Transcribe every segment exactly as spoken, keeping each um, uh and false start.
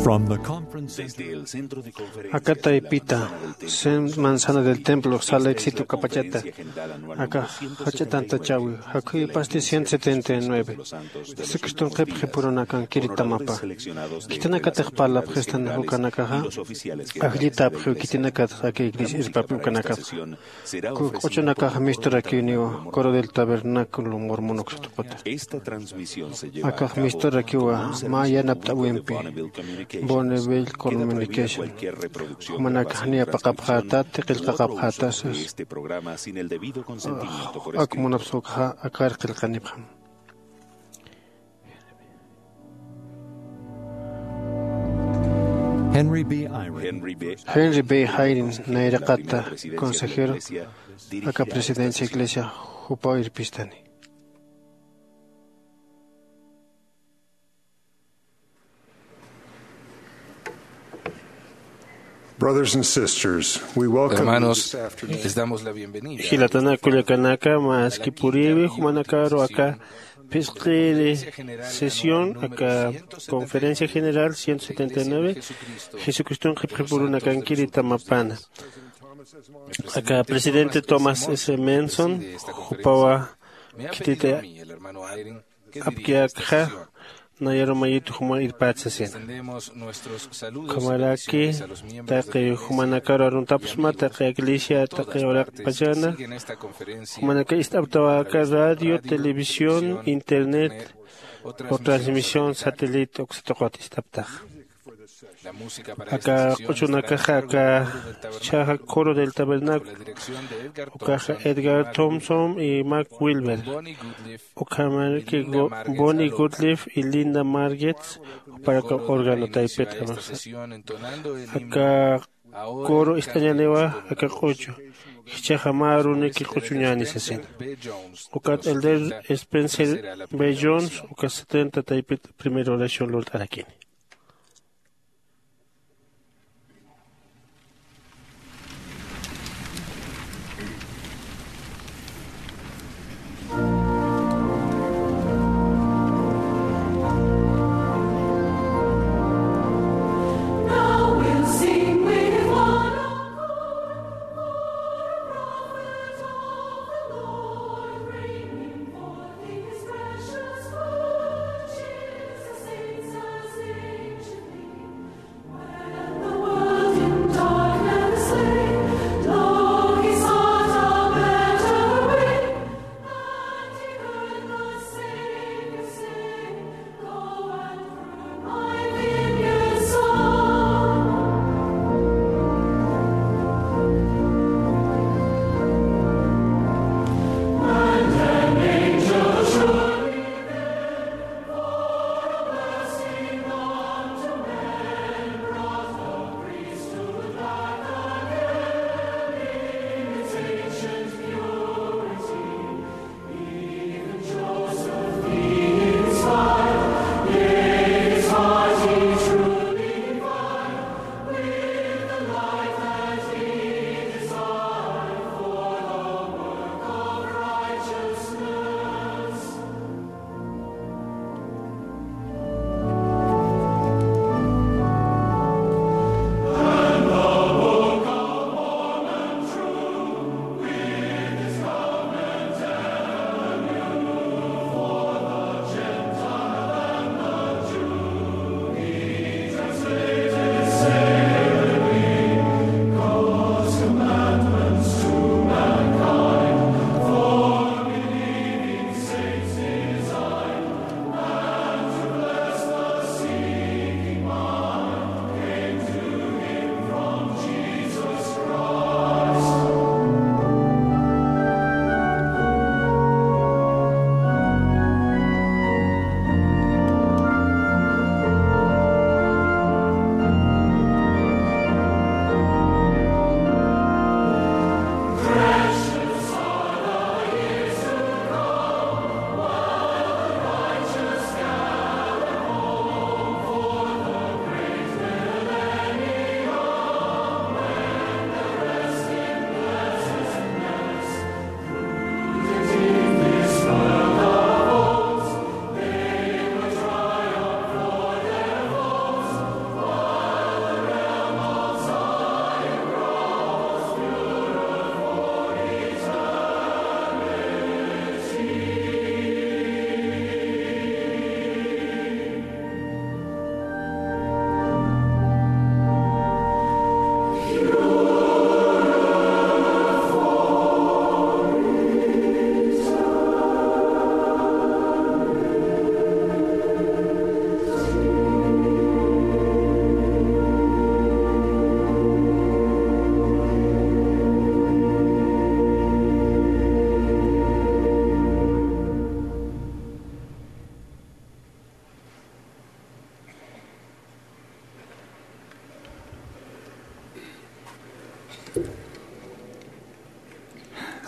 From the conference center, aka taypita, Sen Manzana del Templo, Salt Lake City, ukapachata, aka jach'a tantachäwi, jakhuypasti ciento setenta y nueve, Jesucriston qhipxi purunakankiri tamapa. Khitinakatix parlapxistan ukanakaxa, ajllitapxiw khitinakatix aka iglesia irpapi ukanakapxa. Kuk q'uchunakax misturakiwniwa, Coro del Tabernáculo Mormón uksatuquta. Akax misturakiwa mä yanapt'äwimpi, Bonneville Communication. Jumanakax niya paqapxäta, tiqillqaqapxäta sas. Ak munapsa ukaxa akar qillqanipxam. Henry B. Eyring. Henry B. Eyring, nayraqata consejero, aka presidencia iglesia, jupaw irpistani. Brothers and sisters, we welcome you this afternoon. Hermanos, les damos la bienvenida. Jilatanaka kullakanaka, maski puriwi, jumanakaru aka phisqiri sesión, aka conferencia general ciento setenta y nueve, Jesucriston qhipxi purunakankiri tamapana. Aka presidente Thomas S. Monson, jupawa khititi apkiyakxa, nayaru mayitu juma irpät sasina. Ukhamaraki, taqi jumanakaru aruntapxsma, taqi iglesia, taqi uraqpachana, jumanaka ist'aptawa aka radio, televisión, internet, o transmisión satélite uksatuqat ist'aptaxa. Aka q'uchunakaxa aka jichhaxa Coro del Tabernáculo, ukaxa Edgar Thompson y Mark Wilber, ukhamaraki Go-, Bonnie Goodliffe y Linda Margetts, juparaka órgano taypit. Aka coro ist'añäniwa aka q'uchu, jichhaxa mä aruniki q'uchuñäni sasina. Ukat Elder Spencer B. Jones, uka setenta taypit primera oración lurt'arakini.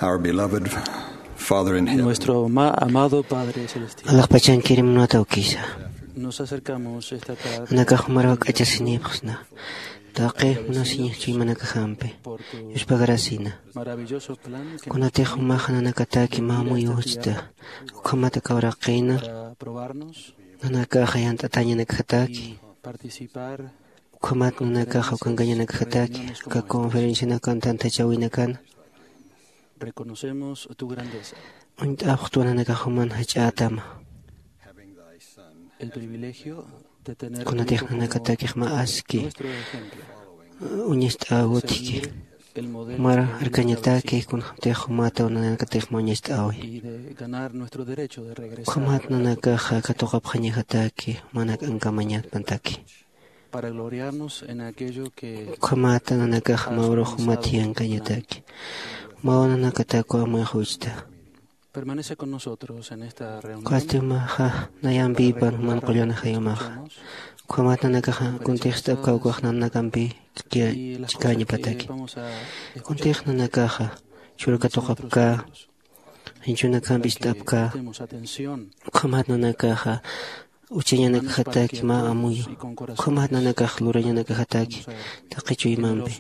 Our beloved Father in heaven. Nuestro ama-, amado Padre Celestial. Alaxpachankiri munata ukisa. Nos acercamos esta tarde. Nanakax jumar jak'achasinipxsna. Taqi munasiñax chuymanakajampi. Yuspagarasina. Maravilloso plan que kunatix jumaxa nanakataki mä amuyuchta. Ukhamat aka uraqina. Para probarnos. Nanakaxa yant'atañanakajataki. Y participar. Ukhamat nanakaxa ukankañanakajataki. Aka conferencianakan tantachawinakan. Reconocemos tu grandeza. Uñt'apxtwa nanakax juman jach'ätama. El privilegio de tener kunatix nanakatakix mä aski. Nuestro ejemplo. Uñacht'äwitki. Ser el modelo. Mara arkañataki kunatix jumataw nanakatix mä uñacht'äwi. Y de ganar nuestro derecho de regresar. Ukhamat nanakaxa katuqapxañajataki, mä k'ankamañatpantaki. Para gloriarnos en aquello que ukhamat nanakax mä urux jumat jiyankañataki. Mä nanakatakwa amuyxuchta. Permanece con nosotros en esta reunión. Ukhasti jumaxa nayampïpan juman qullan ajayumaxa. Ukhamat nanakaxa kuntix ist'apkäw ukax nanakampi chikäñapataki. Kuntix nanakaxa churkatuqapkä, jinchunakampi ist'apkä. Ukhamat nanakaxa uchañanakajataki mä amuyu. Ukhamat nanakax lurañanakajataki taqi chuymampi.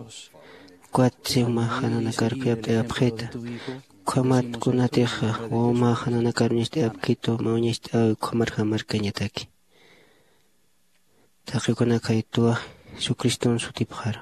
Ukat jumaxa nanakar khuyapt'ayapxita. Ukhamat kunatix wawamäxa nanakar uñacht'ayapkitu, mä uñacht'äwi ukhamarjam arkañataki. Taqi ukanakaytwa Jesucriston sutipxaru.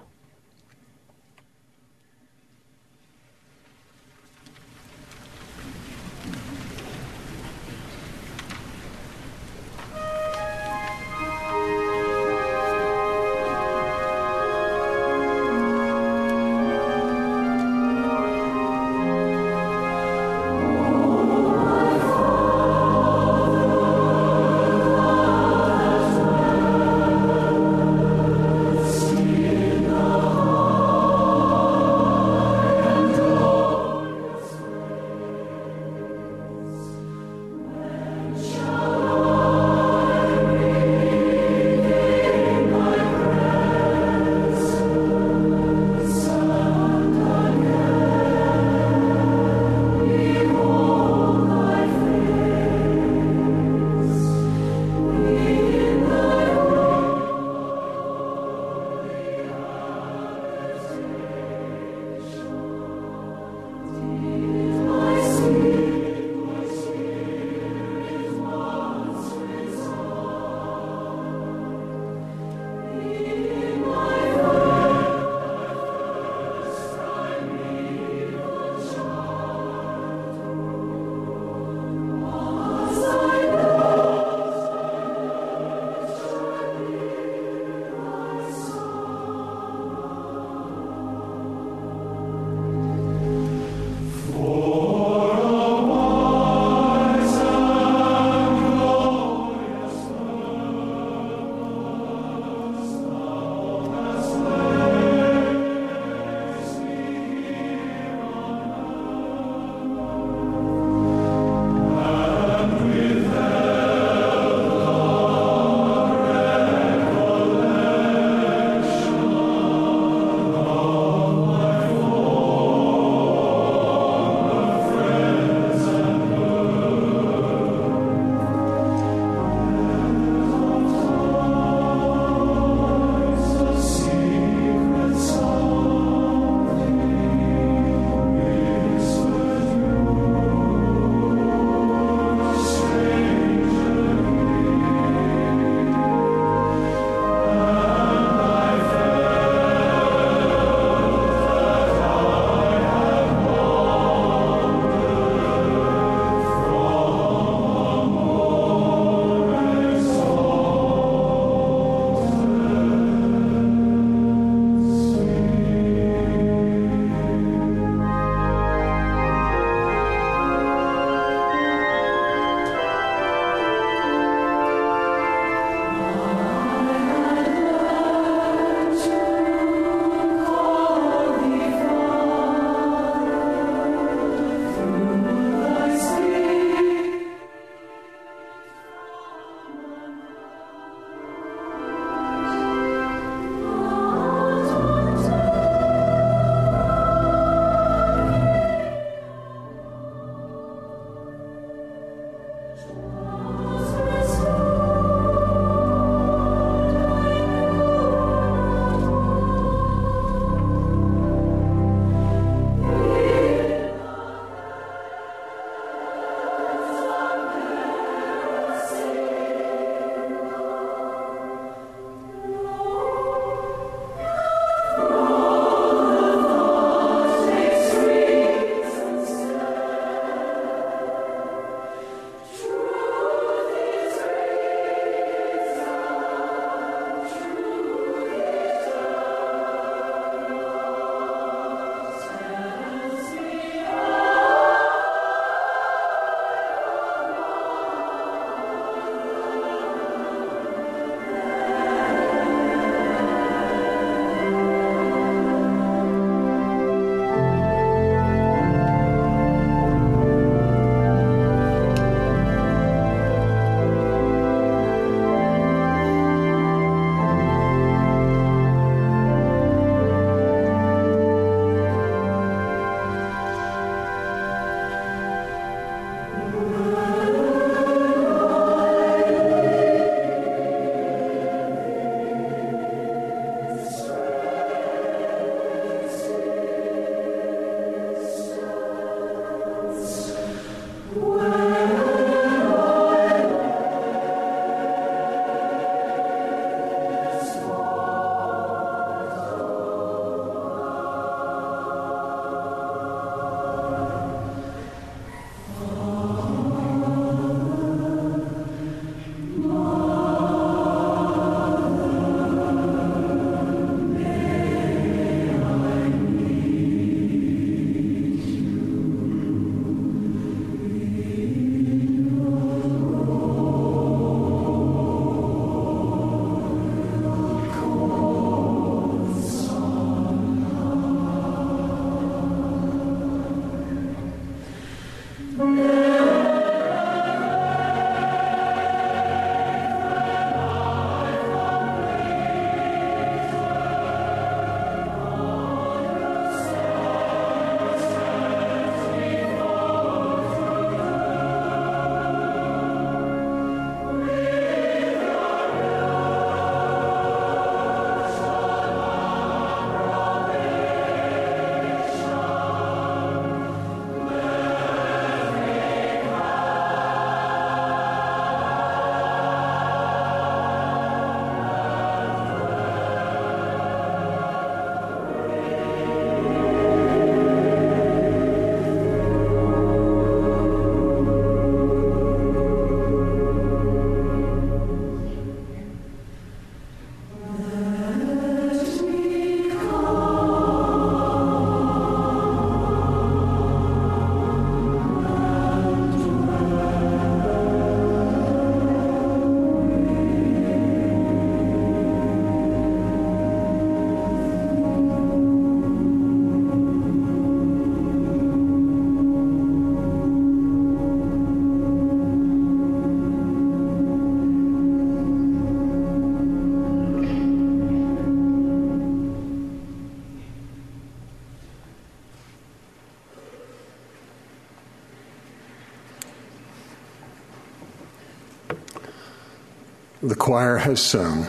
The choir has sung.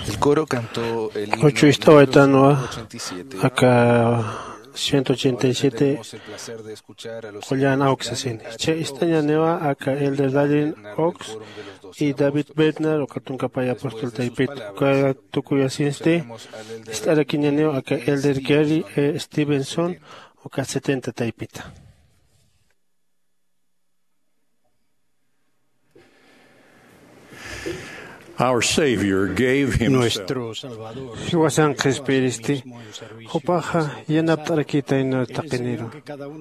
El coro cantó el himno Uchu ist'awaytanwa ochenta y siete. Aka ciento ochenta y siete. Tenemos el placer de escuchar a los Qullan hermanos awksasin. Che ist'añaniwa aka Elder Dallin Oaks y David Bednar, uka tunka pay apóstol taypit. Uka tukuyasinsti ist'arakiñaniwa aka Elder Gary E. Stevenson, uka setenta taypita. Our Savior gave himself. Nuestro Salvador. Jiwasan qhispiyiristi, jupaxa yanapt'arakitaynaw taqiniru.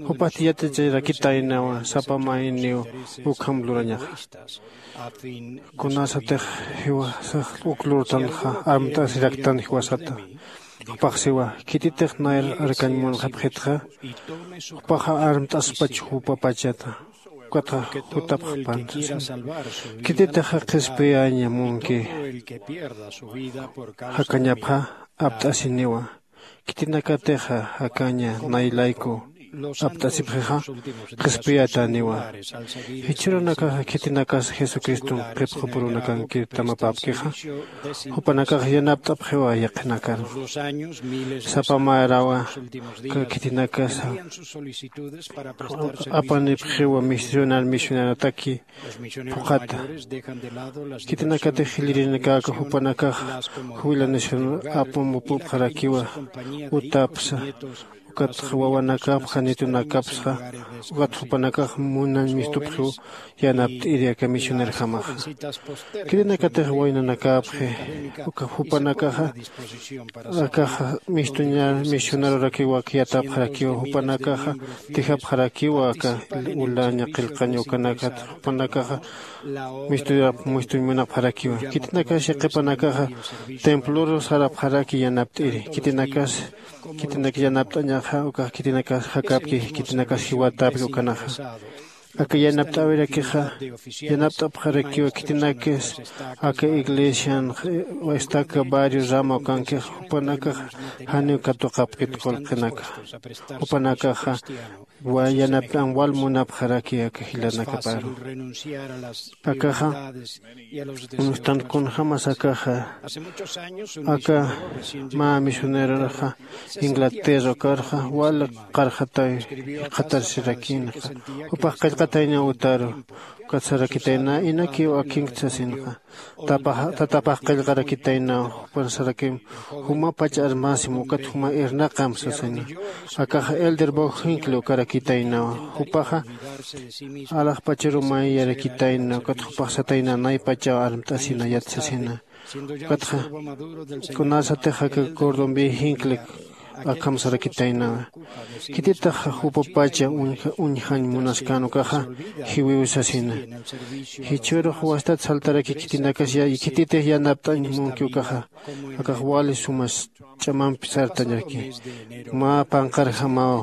Jupax yaticharakitaynawa sapa mayniw ukham lurañaxa. Kunasatix jiwasax uk lurtanxa, amt'asiraktan jiwasata. Jupax siwa, khititix nayr arkañ munxapxitxa, jupaxa armt'aspach jupapachata, ukatxa jutapxpan. Khititixa qhispiyaña munki jakañapxa, apt'asiniwa. Khitinakatixa jakaña nay layku apt'asipxixa qhispiyatäniwa. Jichhürunakaxa khitinakas jesucriston qhipxupurunakankir tamapäpkixa, jupanakax yanapt'apxiwa yaqhinakaru. Sapa märawa aka khitinakasa apanipxiwa misionar misionarataki phuqhata. Khitinakatix jilïrinakaxa jupanakaxa jubilación apamupupxarakiwa utapsa, ukatxa wawanakapxa nitunakapsxa, ukat jupanakax munañ mistupxiw yanapt'iri aka misionerjamaxa. Khitinakatix waynanakäpxi uka jupanakaxa akaxa mistuñar misionarurakiw ak yatapxarakiwa, jupanakaxa dejapxarakiwa aka ulaña qillqañ ukanakata, jupanakaxa mistuñap mistuñ munapxarakiwa. Khitinakas yaqhipanakaxa templorus sarapxaraki yanapt'iri. Khitinakas khitinak yanapt'añaxa ukax khitinakas jakäpki, khitinakas jiwatäpki ukanaxa. Aka yanapt'äwirakixa yanapt'apxarakiwa khitinakis aka iglesian estaca barrio rama ukankix, jupanakaxa janiw katuqapkit qullqinaka. Jupanakaxa yanapt'an wal munapxaraki aka jilanakaparu. Akaxa uñjtan kunjämas akaxa aka mä misioneroraxa inglaterra ukarxa wal qarxataw jikxatarsirakïnxa. Jupax qillqataynaw utaru ukat sarakitayna, inakiw akinkt sasinxa. Tatapax qillqarakitaynaw jupan sarakim jumapach armasim ukat juma irnaqam sasina. Akaxa elder bog jinkli ukarakitaynawa. Jupaxa alaxpacharu mayarakitayna ukat jupax satayna naypachaw armt'asina yat sasina. Ukatxa kunasatix aka cordon bey jinkli akham sarakitaynawa. Khititax jupapacha uñjañ munaskän ukaxa jiwiw sasina. Jichhürux wastat saltaraki khitinakas khititix yanapt'añ munki ukaxa akax wali sumas ch'amampi sartañaraki. Mä panqarjamaw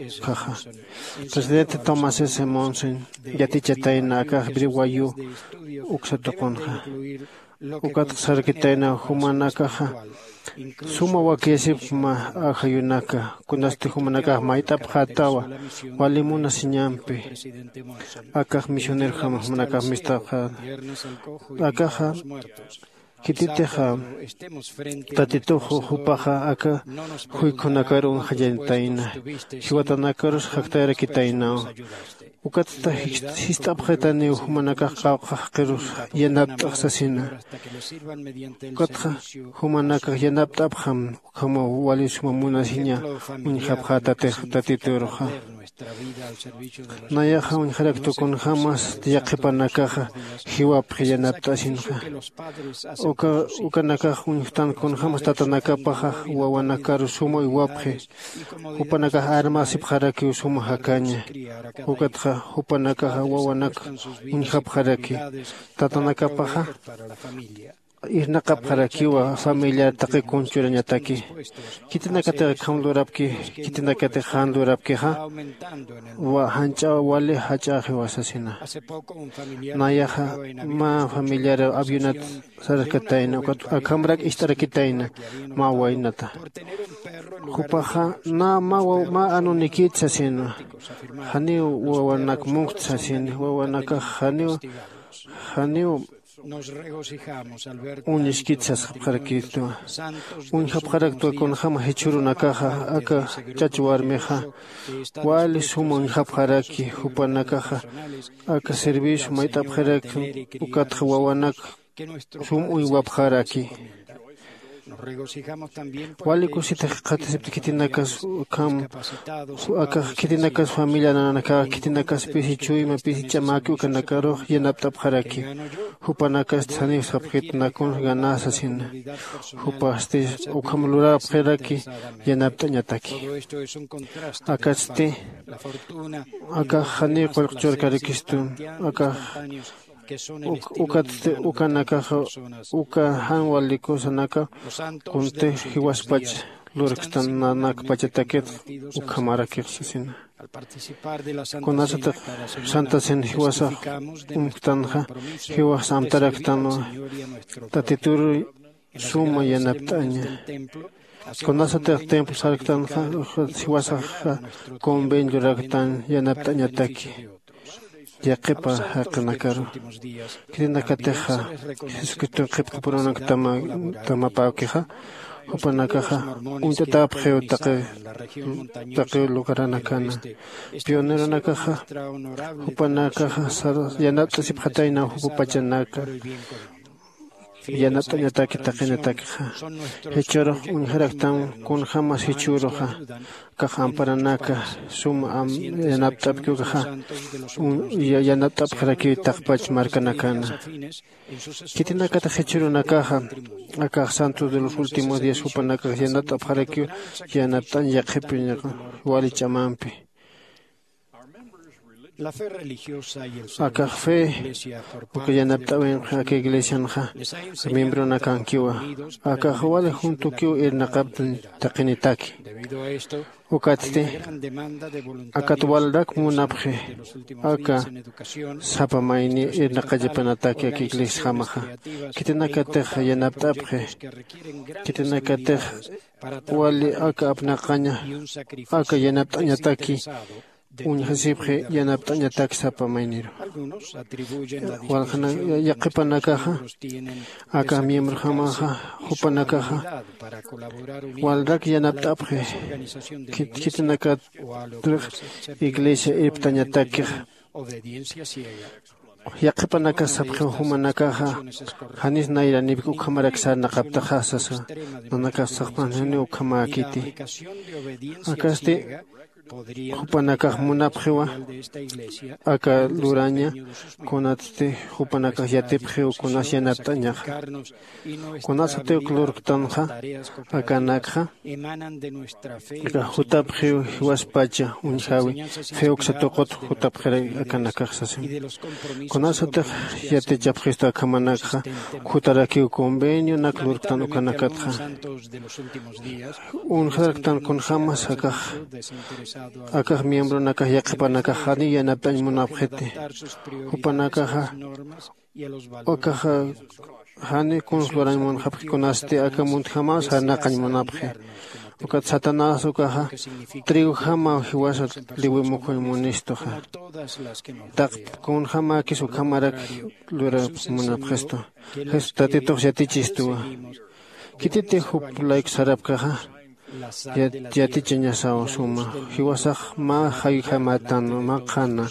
ukkhaxa presidente tomás s monson yatichatayna akax briwayu uksa tuqunxa. Ukatxa sarkitayna jumanakaxa suma wakiyasipma ajayunaka kunasti jumanakax mayt'apxätawa wali munasiñampi. Akax misionerjama jumanakax mistapxäna akaxa khititixa tatitux jupaxa aka juykhunakar uñjañatayna jiwatanakarus jaktayarakitaynaw. Ukatsta sist'apxitaniw jumanakax qawqha jaqirus yanapt'ax sasina. Ukatxa jumanakax yanapt'apxam ukhamaw wali suma munasiña uñjapxätatix tatituruxa. Nayaxa uñjaraktu kunjämas yaqhipanakaxa jiwapxi yanapt'asinxa. Ukanakax uñjtan kunjämas tatanakapaxa wawanakaru suma uywapxi. Jupanakax armasipxarakiw suma jakaña. Ukatxa jupanakaxa wawanak uñjapxaraki tatanakapaxa irnaqapxarakiwa familiar taqi kunchurañataki. Khitinakatix akham lurapki khitinakatix jan lurapkixa janch'a wali jach'axiwa sasina. Nayaxa mä familiar avionat sarkatayna ukat akhamrak ist'arakitayna mä waynata. Jupaxa nä mä anunikit sasina. Janiw wawanak munkt sasini wawanakax janiw janiw uñiskit sasxapxarakitwa. Uñjapxaraktwa kunjäma jichhürunakaxa aka chach warmixa wali suma uñjapxaraki jupanakaxa aka servicio mayt'apxaraki ukatxa wawanak sum uywapxaraki. Wali kusita jikxatasipti khitinakas ukham akax khitinakas familia nanakaxa khitinakas pisi chuyma pisi ch'amäki ukanakarux yanapt'apxaraki. Jupanakasti janiw sapxit nakunx ganä sasina. Jupasti ukham lurapxiraki yanapt'añataki. Akatsti akax janiw qullqchurkarakistu akax ukatsti ukanakaxa uka jan walikusanaka kuntix jiwaspach lurkstan nanakpachatakit ukhamarakix sasina. Kunasatix santasin jiwasax umktanxa jiwax amtaraktanwa tatituru suma yanapt'aña. Kunasatix templo sarktanxa, jiwasaxa convenio raktan yanapt'añataki yaqhipa jaqinakaru. Khitinakatixa jesucriston qhipkapurunakta tamapäkixa, jupanakaxa uñt'atapxiw taqi lugaranakana. Pioneronakaxa jupanakaxa yanapt'asipxataynaw jupa pachanaka yanapt'añataki taqinatakixa. Jichhürux uñjaraktam kunjämas jichhüruxa akax amparanaka sum yanapt'apkiw ukaxa yanapt'apxarakiw taqpach markanakana. Khitinakatix jichhürunakaxa akax santos de los últimos días jupanakax yanapt'apxarakiw yanapt'añ yaqhipiñaxa wali ch'amampi. Akax fe uka yanapt'äwinxa aka iglesianxa miembronakankiwa. Akax wali juntukiw irnaqaptan taqinitaki. Ukatsti akat walrak munapxi aka sapa mayni irnaqallapanataki aka iglesiajamaxa. Khitinakatix yanapt'apxi khitinakatix wali aka apnaqaña aka yanapt'añataki uñjasipxi yanapt'añatak sapa mayniru. Walxana yaqhipanakaxa aka miembrojamaxa jupanakaxa walrak yanapt'apxi khitinakatrix iglesia irptañatakixa. Yaqhipanakas sapxiw jumanakaxa janis nayranipki ukhamarak sarnaqaptaxa sasa. Nanakas saqpan janiw ukhamäkiti. Akasti jupanakax munapxiwa aka luraña kunatsti jupanakax yatipxiw kunas yanapt'añaxa. Kunasatiw lurktanxa akanakxa aka jutapxiw jiwaspacha uñjäwi fe uksa tuqut jutapxiray akanakax sasin. Kunasatix yatichapxistu akhamanakxa jutarakiw convenionak lurktan ukanakatxa uñjaraktan kunjämas akax akax miembronakax yaqhipanakax janiw yanapt'añ munapxiti. Jupanakaxa akaxa jani kuns lurañ munxapxi kunasti aka muntjamaw sarnaqañ munapxi. Ukat satanás ukaxa trigojamaw jiwasa liwimukhuñ munistuxa. Taqp kunjämäkis ukhamarak lurap munapxistu. Jesús tatitux yatichistuwa. Khititix jup layku sarapkaxa yatichañasaw suma jiwasax mä jayjamatan mä qhana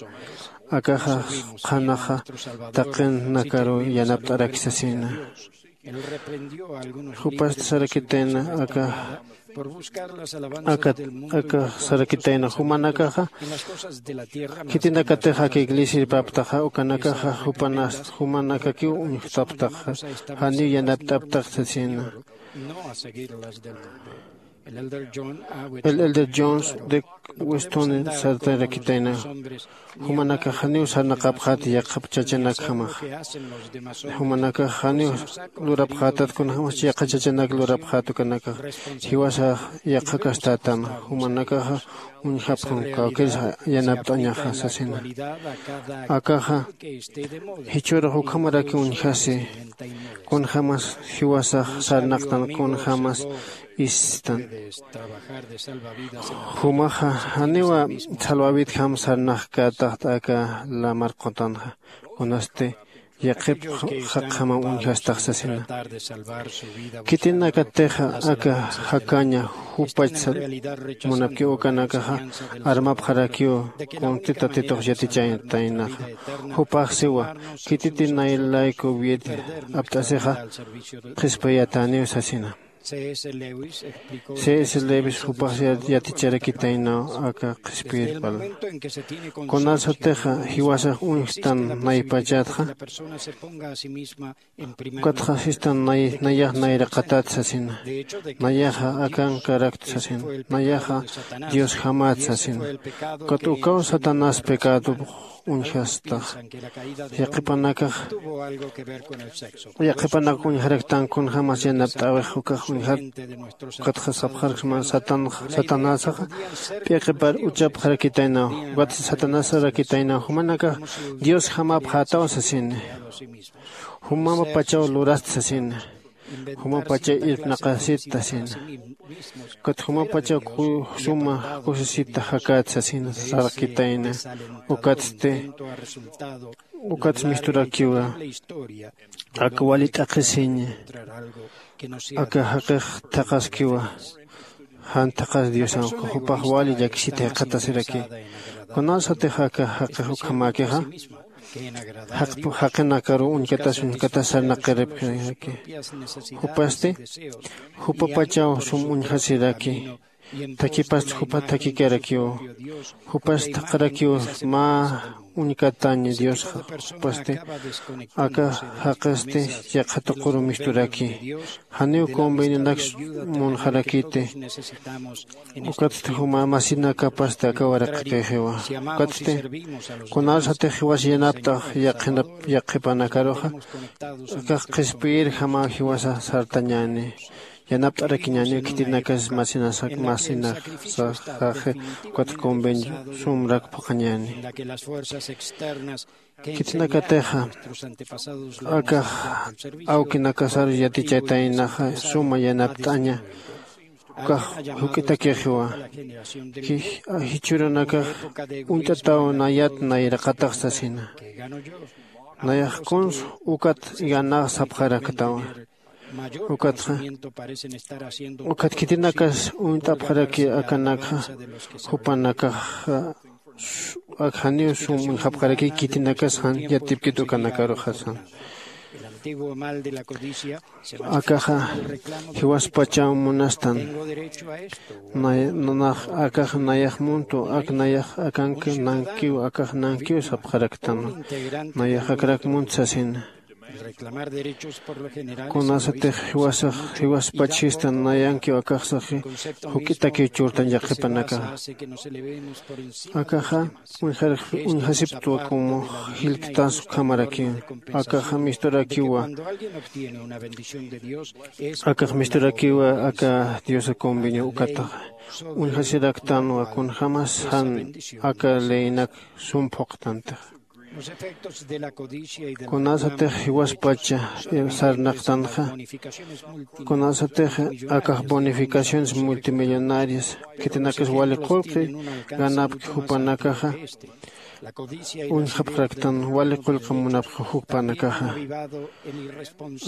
akaxa qhanaxa taqinakaru yanapt'araki sasina. Jupasti sarakitayna aka aka aka sarakitayna jumanakaxa khitinakatix aka iglesia irpaptaxa ukanakaxa jupanas jumanakakiw uñjtaptaxa janiw yanapt'aptax sasina. El elder jones de weston sartarakitayna jumanakax janiw sarnaqapxäti yaqhap chachanakjamaxa. Jumanakax janiw lurapxätat kunjämas yaqha chachanak lurapxät ukanakax jiwasax yaqha kastat tama jumanakaxa uñjapxam kawkïrs yanapt'añaxa sasina. Akaxa jichhürux ukhamarakiw uñjasi kunjämas jiwasax sarnaqtan kunjämas istan. Jumaxa janiwa salvawitjam sarnaqkätaxt aka lamar qutanxa kunasti yaqhip jaqjamam uñjastax sasina. Khitinakatixa aka jakaña jupach munapkiw ukanakaxa armapxarakiw kunsti tatitux yatichantaynaxa. Jupax siwa khititi nay layku vida apt'asixa qhispiyataniw sasina. C s lewis jupax yaticharakitaynaw aka qhispiyirpal kunasatixa jiwasax uñjtan naypachatxa ukatxa sistan nayax nayraqatat sasina. Nayaxa akankarakt sasina. Nayaxa diosjamat sasina. Ukat ukaw satanás pecado uñjastax. Yaqhipanakax yaqhipanak uñjaraktan kunjämas yanapt'äwix ukax uñjat. Ukatxa sapxarksma satanásaxa p'iqipar uchapxarakitaynaw ukat satanásarakitaynaw jumanakax diosjamapxätaw sasina. Jumamapachaw lurasta sasina. Jumapacha irpnaqasita sina. Ukat jumapacha ku- suma kusisita jakat sasina sarqitayna. Ukatsti ukats misturakiwa. Aka wali t'aqhisiña. Aka jaqix thaqaskiwa. Jan thaqas diosan jupax wali llakisita jikxatasiraki. Kunasatix aka jaqix ukhamäkixa jaqinakaruw uñkatas uñkatas sarnaqiripxiraki. Jupasti jupapachaw sum uñjasiraki. Thakipast jupa thakikarakiw. Jupas thaqharakiw mä uñkataña diosxa. Jupasti aka jaqisti yaqha tuquru misturaki. Janiw convenianaks munxarakiti. Ukatsti juma masinakapasti aka waraqakixiwa. Ukatsti kunasatix jiwas yanapt'ax yaqhinap yaqhipanakaruxa akax qhispiyirjamaw jiwasa sartañäni. Yanapt'arakiñäniw khitinakas masinasak masinaxsaxaxi. Ukat convenio sumrak phuqhañäni. Khitinakatixa akax awkinakasarus yatichaytaynaxa suma yanapt'aña. Ukax juk'itakixiwa. Jichhürunakax uñt'ataw nayat nayraqatax sasina. Nayax kuns ukat ganax sapxaraktawa. Ukatxa ukat khitinakas uñt'apxaraki akanakxa jupanakaxa ak janiw sum uñjapxaraki khitinakas jan yatipkit ukanakaruxasan. Akaxa jiwaspachaw munastan. Nax akax nayax muntu ak nayax akanki nankiw akax nankiw sapxaraktan. Nayax akrak munt sasina. Kunasatix jiwasax jiwaspach sistan nayankiw akaxsaxi juk'itakiw churtan yaqhipanakaxa. Akaxa uñjarix uñjasiptwa como jilktas ukhamarakiw. Akaxa misturakiwa. Akax misturakiwa aka diosa convenio ukataxa uñjasiraktanwa kunjämas jan aka leynak sum phuqtantixa. Kunasatix jiwaspacha sarnaqtanxa kunasatix akax bonificaciones multimillonarias khitinakas wali qullqi ganapki jupanakaxa uñjapxaraktan wali qullqi munapxi jupanakaxa.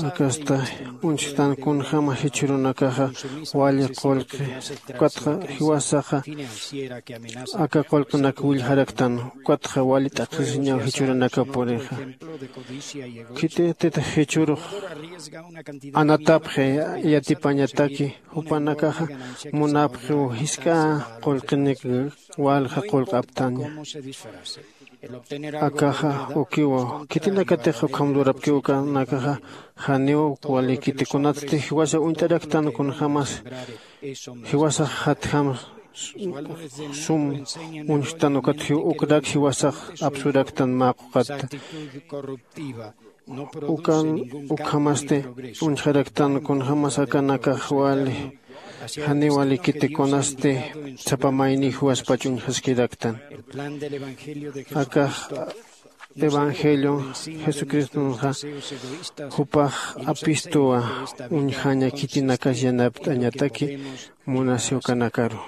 Akasta uñchktan kunjäma jichhürunakaxa wali qullqi ukatxa jiwasaxa aka qullqinak willjaraktan. Ukatxa wali t'aqhisiñaw jichhürunaka purixa. Khitititix jichhürux anatapxi yatipañataki jupanakaxa munapxiw jisk'a qullqinik walja qullq'aptaña. Akaxa ukiwa khitinakatix ukham lurapkiw ukanakaxa janiw walikiti kunatsti jiwasa uñt'araktan kunjämas jiwasax jatjam sum uñjtan ukat ukrak jiwasax apsuraktan mä quqatta. Ukan ukhamasti uñjaraktan kunjämas akanakax wali janiw walikiti kunasti sapa mayniw jiwaspach uñjaskiraktan. Akax evangelio jesucristonxa jupax apistuwa uñjaña khitinakas yanapt'añataki munasi ukanakaru.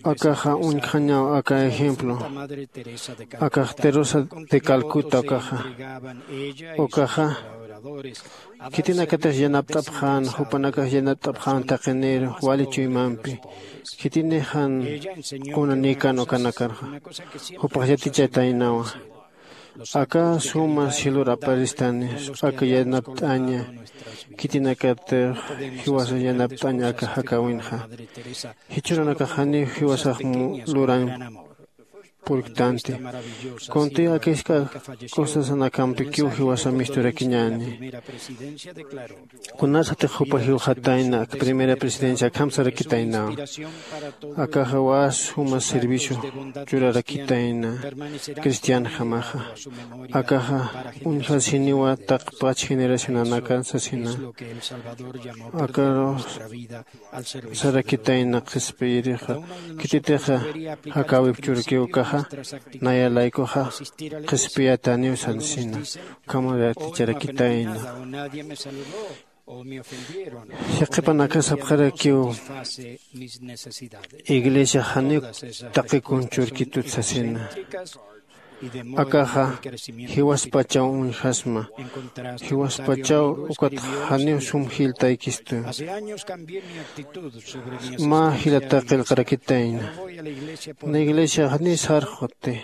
Akaxa uñjañaw aka ejemplo akax teresa de calcuta ukaxa ukaxa khitinakatix yanapt'apxän jupanakax yanapt'apxän taqiniru wali chuymampi khitinixan qunanïkan ukanakarxa jupax yatichaytaynawa. Aka suma cielor aparistani aka yanapt'aña khitinakatix jiwasa yanapt'aña aka jakäwinxa jichhürunakax janiw jiwasax lurañ purktanti. Kunti aka jisk'a cosasanakampikiw jiwasa misturakiñäni. Kunasatix jupa jiwxatayna ak primera presidencia akham sarakitaynaw akaxa wä suma servicio churarakitayna cristianjamaxa. Akaxa uñjasiniwa taqpach generacionanaka sasina. Akaru sarakitayna qhispiyirixa khititixa jakäwip churkiw ukaxa Naya laykuxa qhispiyataniw sansina, ukhamaw yaticharakitayna. Yaqhipanakax sapxarakiw, iglesia janiw taqi kun churkitut sasina. Akaxa jiwaspachaw uñjasma, jiwaspachaw ukat janiw sum jilltaykistu. Mä jilata qillqarakitayna. Na iglesia janiw sarxuti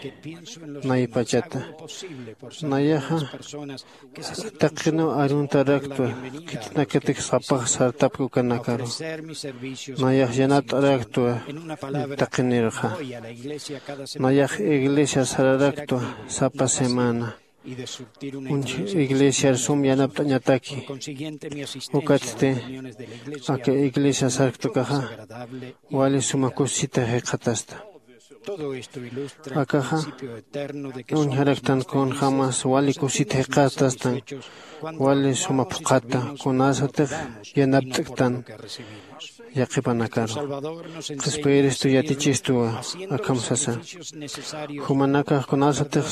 naypachata. Nayaxa taqiniw aruntaraktu, khitinakatik sapax sartapki ukanakaru. Nayax yanapt'araktwa taqinirxa. Nayax iglesia sararaktwa sapa semana. Uñj iglesiar sum yanapt'añataki. Ukatsti aka iglesia sarktukaxa wali suma kusisita jikxatasta. Akaxa uñjaraktan kunjämas wali kusisita jikxatastan, wali suma phuqhata kunasatix yanapt'ktan yaqhipanakaru. Qhispiyiristu yatichistuwa akham sasa. Jumanakax kunasatix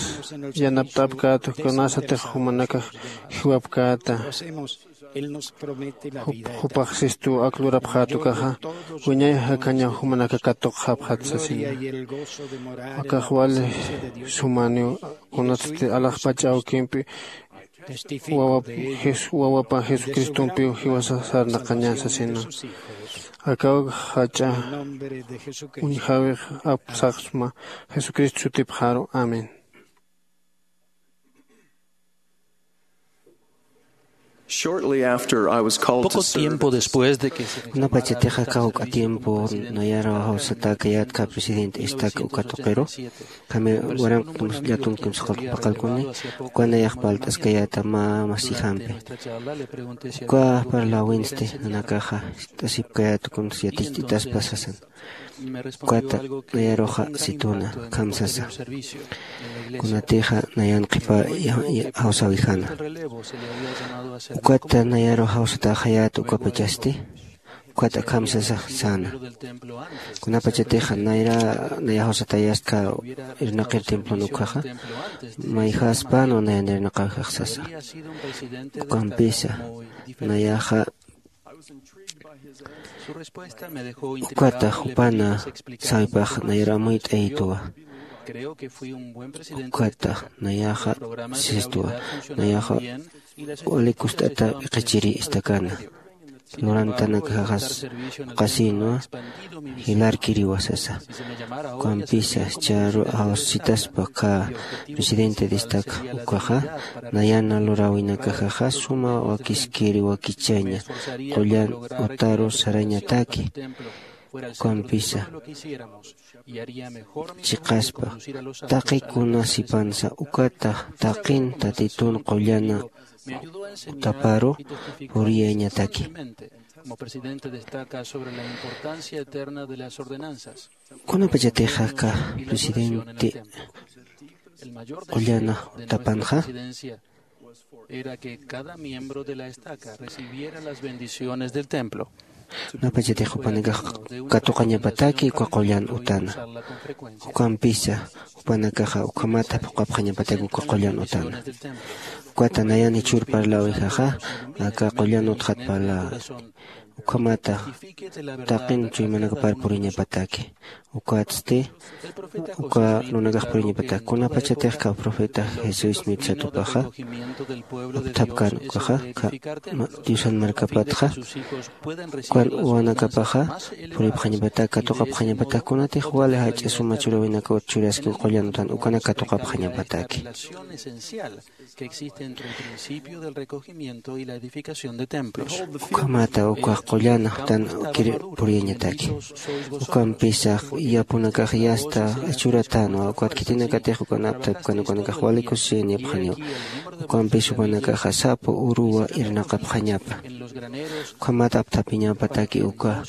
yanapt'apkäta, kunasatix jumanakax jiwapkäta. Jupax sistu ak lurapxäta ukaxa, wiñay jakhañaw jumanaka katuqxapxat sasina. Akax wali sumaniw kunatsti alaxpach awkimpi wawapa jesucristompiw jiwasa sarnaqaña sasina. Akaw jach'a uñjäwix apsaxsma jesucristo sutipxaru. Amén. Shortly after I was called to Poco serve tiempo después de que se Kunapachatixa kawk'a tiempo nayar jawsatäkayätxa presidente estaca uka tuqiru, kami waranq llatumkim saqalt'paqalkuni, uka nayax parlt'askayäta mä masijampi. Uka parläwinsti nanakaxa ist'asipkayäta kunsa yaticht'itaspa sasan. Ukata nayaruxa situna, akham sasa. Kunatixa nayan qhipa jawsäwixäna. Ukata nayaru jawsatäxayät ukapachasti, ukat akham sasa säna. Kunapachatixa nayra naya jawsatäyästkha irnaqir templon ukkhaxa, mayjäspänwa nayan irnaqäwixax sasa. Ukampisa nayaxa Ukata jupana sawipax nayar amuyt'ayituwa. Ukata nayaxa sistwa, nayaxa wali kust'ata p'iqichiri istakana. Lurantanakaxas qasïnwa, jilarkiriwa sasa. Ukampisa charu jawsitaspa khä presidente de estaca ukaxa, nayana luräwinakaxaxa suma wakiskiri wakichaña qullan utaru sarañataki. Ukampisa chiqaspa taqi kuna sipansa ukata taqin tatitun qullana utaparu puriyañataki. Como presidente destaca sobre la importancia eterna de las ordenanzas. Kunapachatix aka presidente qullana utapanxa, era que cada miembro de la estaca recibiera las bendiciones del templo. Kunapachatix jupanakax katuqañapataki uka qullan utana. Ukampisa jupanakaxa ukhamata phuqapxañapataki uka qullan utana. Ukata nayan jichhür parlawijaxa aka qullan utxat parla ukhamata taqin chuymanakapar puriñapataki. Ukatsti uka runakax puriñapataki. Kunapachatix ka profeta Jesús Smith satupaxa apthapkan ukaxa, ka diosan markapatxa ukan uwanakapaxa puripxañapataki, katuqapxañapataki. Kunatix wali jach'a suma churäwinakawat churaski uka qullan utan ukanak katuqapxañapataki. Que existe entre el principio del recogimiento y la edificación de templos. Ukhamata uka qullan utan ukir puriyañataki. Ukampisa yapunakax yasta churatanwa, ukat khitinakatix ukan apthapkan ukanakax wali kusisiñapxaniwa. Ukampis jupanakaxa sapa uruwa irnaqapxañapa. Ukhamat apthapiñapataki uka,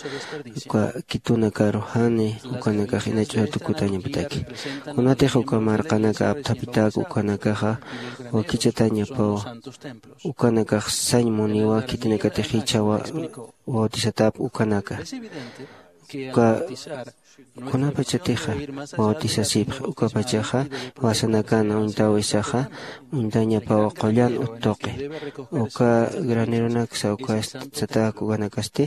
uka kitunakaru jani ukanakax inach'usa tukutañapataki. Kunatix uka marqanaka apthapitak ukanakaxa wakichatañapawa. Ukanakax sañ muniwa khitinakatix jichhawa bautizatap ukanaka. Uka kunapachatixa bautisasipxi ukapachaxa jiwasanakan uñtäwisaxa uñtañapaw qullan uttuqi. Uka graneronaksa uka satäk ukanakasti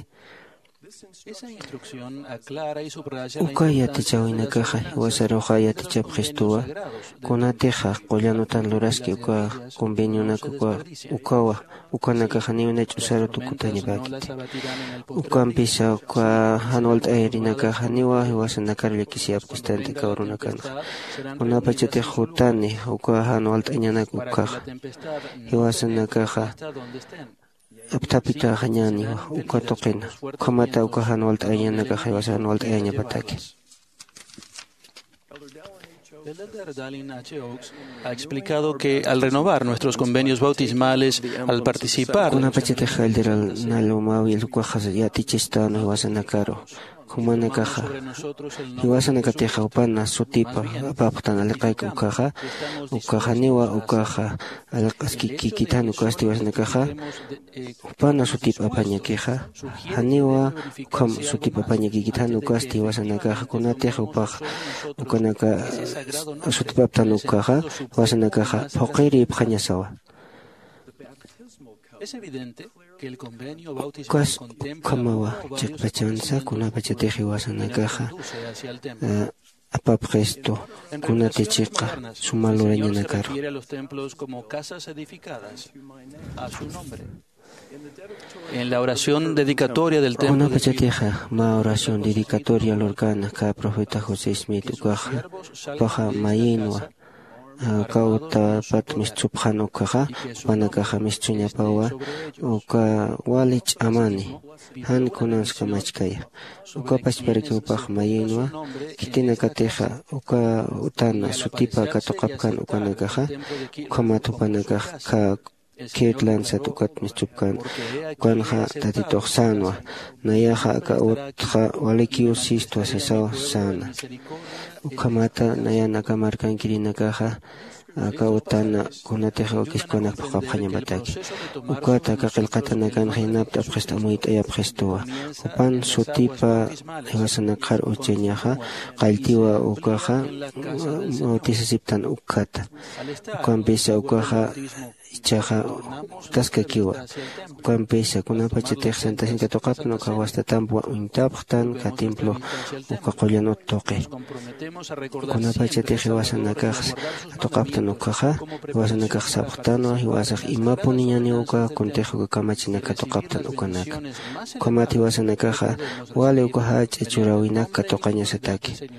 uka yatichäwinakaxa jiwasaruxa yatichapxistuwa kunatixa qullan utan luraski uka convenionak ukawa ukanakaxa niwna ch'usaru tukutañapäkiti. Ukampisa uka jan walt'ayarinakaxa niwa jiwasanakar llakisiyapkistant'i uka urunakanxa. Kunapachatix jutani uka jan walt'añanak ukkhaxa jiwasanakaxa apthapitäxañäniwa uka tuqina. Ukhamata uka jan walt'ayañanakaxa jiwasa jan walt'ayañapataki. Ha explicado que al renovar nuestros convenios bautismales, al participar de los Kunapachatix Elder Dallin H. Oaks ukaxa yatichistänwa jiwasanakaru jumanakaxa jiwasanakatixa jupana sutipa apapxtan aliqaki ukkhaxa. Ukkhaxaniwa ukaxa aliq'askikikithan ukasti jiwasanakaxa jupana sutip apañakixa. Janiwa ukham sutip apañakikithan ukasti jiwasanakaxa kunatix jupax ukanaka sutipaptan ukkhaxa jiwasanakaxa phuqirïpxañasawa. Ukas ukhamawa chiqpachansa kunapachatix jiwasanakaxa apapxistu kunati chiqa suma lurañanakaru. En la oración dedicatoria del templo de Kunapachatixa mä oración dedicatoria lurkana kä profeta José Smith ukaxa jupaxa mayïnwa aka utapat mistsupxan ukkhaxa jupanakaxa mistsuñapawa uka wali ch'amani jan kunans kamachkaya. Uka pachparakiw jupax mayïnwa khitinakatixa uka utana sutipa katuqapkan ukanakaxa ukhamat jupanakax kä Kirtland sat ukat mistsupkän ukanxa tatitux sänwa. Nayaxa aka utxa walikiw sistwa sasaw säna. Ukhamata nayan aka markankirinakaxa aka utana kunatix wakiskunak phuqhapxañapataki. Ukat aka qillqatanakanxa yanapt'apxist amuyt'ayapxistuwa jupan sutipa jiwasanakxar uchañaxa qalltiwa ukaxa bautisasiptan ukkhata. Ukampisa ukaxa ichaxa utaskakiwa. Ukampisa kunapachatix santasin katuqaptan uka wastatampwa uñtapxtan kä templo uka qullan uttuqi. Kunapachatix jiwasanakax katuqaptan ukkhaxa jiwasanakax sapxtanwa jiwasax imapuniñaniw uka kuntix uka kamachinak katuqaptan ukanaka. Ukhamat jiwasanakaxa wali uka jach'a churäwinak katuqañasataki.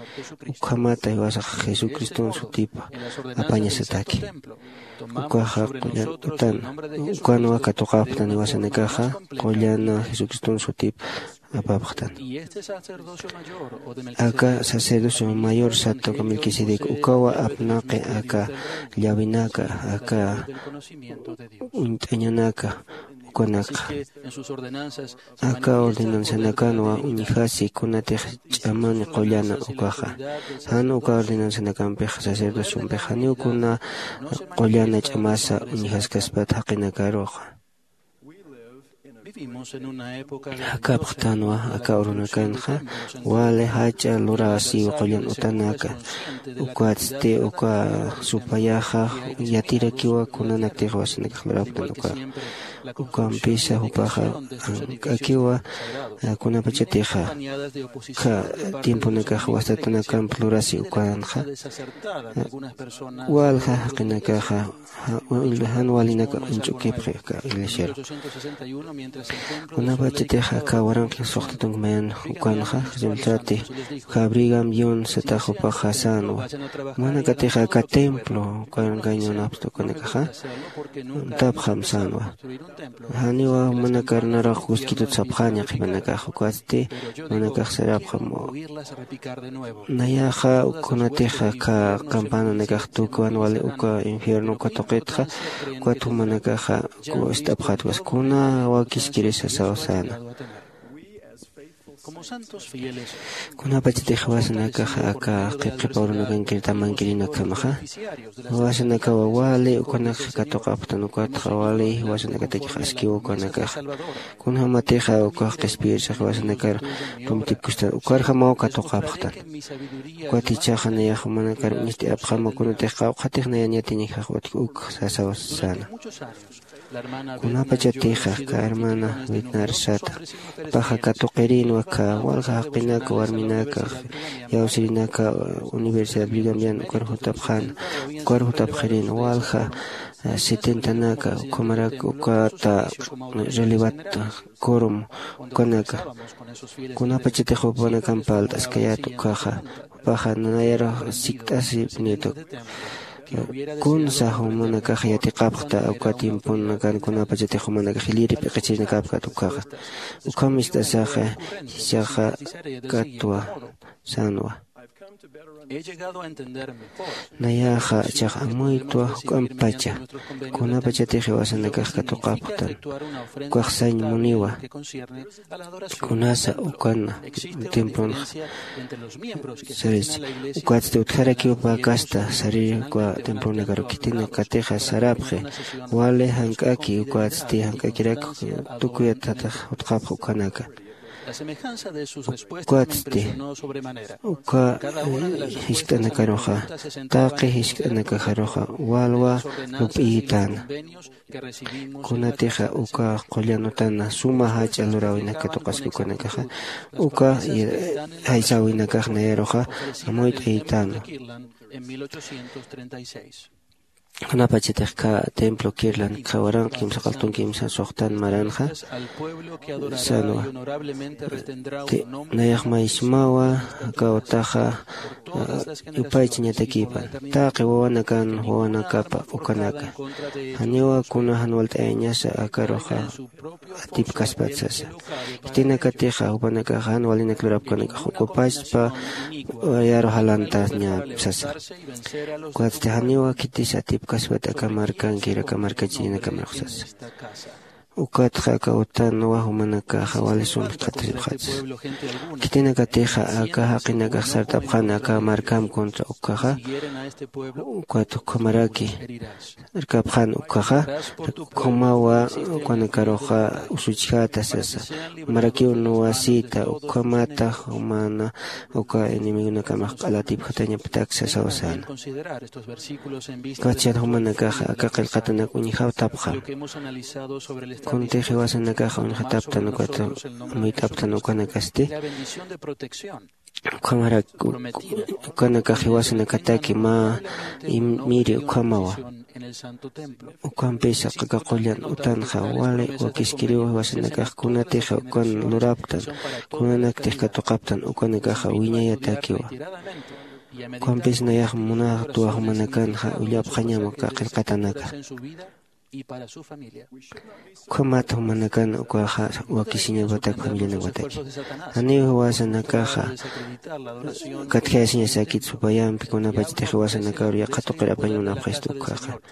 Ukhamata jiwasax jesucriston sutipa apañasataki. Ukaxa qullan utan ukanwa katuqapxtan jiwasanakaxa qullana jesucriston sutip apapxtan. Aka sacerdocio mayor sat uka melquisedec ukawa apnaqi aka llawinaka aka uñt'añanaka ukanakxa. Aka ordenanzanakanwa uñjasi kunatix ch'amani qullana ukaxa. Jan uka ordenanzanakampixa sacerdociompixa janiw kuna qullana ch'amasa uñjaskaspat jaqinakaruxa. Jakapxtanwa aka urunakanxa wali jach'a luräsiw qullan utanaka. Ukatsti uka supayaxa yatirakiwa kunanaktix jiwasanakax lurapxtan ukaxa. Ukampisa jupaxa jank'akiwa kunapachatixa kä tiemponakax wastatanakamp lurasi ukanxa walja jaqinakaxa jan walinaka uñch'ukipxi aka iglesiaru. Kunapachatixa aka waranqi suxta tunka mayan ukanxa resultati kä Brigham Young satax jupaxa sänwa. Jumanakatixa aka templo ukankañanapxta ukanakaxa uñtapxam sänwa. Janiwa jumanakar naruxa kuskitut sapxäni qhipanakax ukatsti jumanakax sarapxam nayaxa kunatixa kä campananakax tukiwan wali uka infierno uka tuqitxa ukat jumanakaxa ist'apxätwas kuna wakiskiri sasaw säna. Kunapachatix jiwasanakaxa aka qhipqhipa urunakankir tamankirinakjamaxa, jiwasanakawa wali ukanakxa katuqapxtan, ukatxa wali jiwasanakatakix askiw ukanakaxa. Kunjämatixa ukax qhispiyirsa jiwasanakar tumtipkustan, ukarjamaw katuqapxtan. Ukat jichhaxa nayax jumanakar uñst'ayapxama, kunatix qawqhatix nayan yatiñjax utjki uk sasaw säna. Kunapachatixa aka hermana Bednar sata, paxa katuqirinwa aka walja jaqinaka, warminaka, iyawsirinaka, Universidad Brigham Young ukar jutapxäna, ukar jutapxirin walja, eh, setentanaka, ukhamarak ukata, eh, relevat, quorum, ukanaka. Kunapachatix jupanakamp parlt'askayät ukkhaxa, jupaxa nayarux sikt'asipnïta. Kunsa jumanakax yatiqapxta uka tiemponakan, kunapachatix jumanakax jilïr p'iqichirinakäpkät ukkhaxa. Ukham ist'asaxa, jichhaxa katwa sänwa. Nayaxa jichhax amuytwa juk'ampacha, kunapachatix jiwasanakax katuqapxtan. Ukax sañ muniwa. Kunasa ukan templonxa sarist, ukatsti utjarakiw pä kasta sarïr uka templonakaru, khitinakatixa sarapxi, wali jank'aki, ukatsti jank'akirak tukuyat tatix utjapxi ukanaka. Ukatsti uka, eh, jiskt'anakaruxa, taqi jiskt'anakaxaruxa walwa lup'iyitäna. Kunatixa uka qullan utana suma jach'a luräwinak katuqaski ukanakaxa, uka, eh, jaysäwinakax nayaruxa amuyt'ayitäna. Kunapachatix aka templo Kirtland, aka waranqa kimsaqaltun kimsa suxtan maranxa sänwa. Nayax maysmawa, aka utaxa, ah, yupaychañatakipan. Taqi wawanakan, wawanakapa ukanaka. Janiwa kuna jan walt'ayañasa akaruxa atipkaspat sasa. Khitinakatixa jupanakaxa jan walinak lurapkanakax ocupaspa, yaru jalantañap sasa. Ukatsti janiwa khitis atipkaspat aka markankir, aka markachirinakamarux sasa. Ukatxa aka utanwa jumanakaxa wali sum jikxatasipxatsa. Khitinakatixa aka jaqinakax sartapxäna aka markam contra ukkhaxa, ukat ukhamaraki sarkapxän ukkhaxa, ukhamawa ukanakaruxa usuchjäta sasa. Jumarakiw nuwasïta, ukhamata jumana uka enemigonakamax q'alatipjatañaptak sasaw säna. Ukat chan jumanakaxa aka qillqatanak uñjawtapxam. Kuntix jiwasanakaxa uñjataptan ukat amuyt'aptan ukanakasti. Ukhamarak, u-, ukanakax jiwasanakataki mä im-, miri ukhamawa. Ukhampisa aka qullan utanxa wali wakiskiriw jiwasanakax kunatixa ukan lurapktan, kunanaktix katuqaptan ukanakaxa wiñayatakiwa. Ukhampis nayax munatwa jumanakanxa ullapxañam aka qillqatanaka. Ukhamat jumanakan ukaxa wakisiñawatak familianakwataki. Janiw jiwasanakaxa katjayasiñasakit supayampi, kunapachatix jiwasanakaru yaqha tuqir apañ munapxistu ukkhaxa.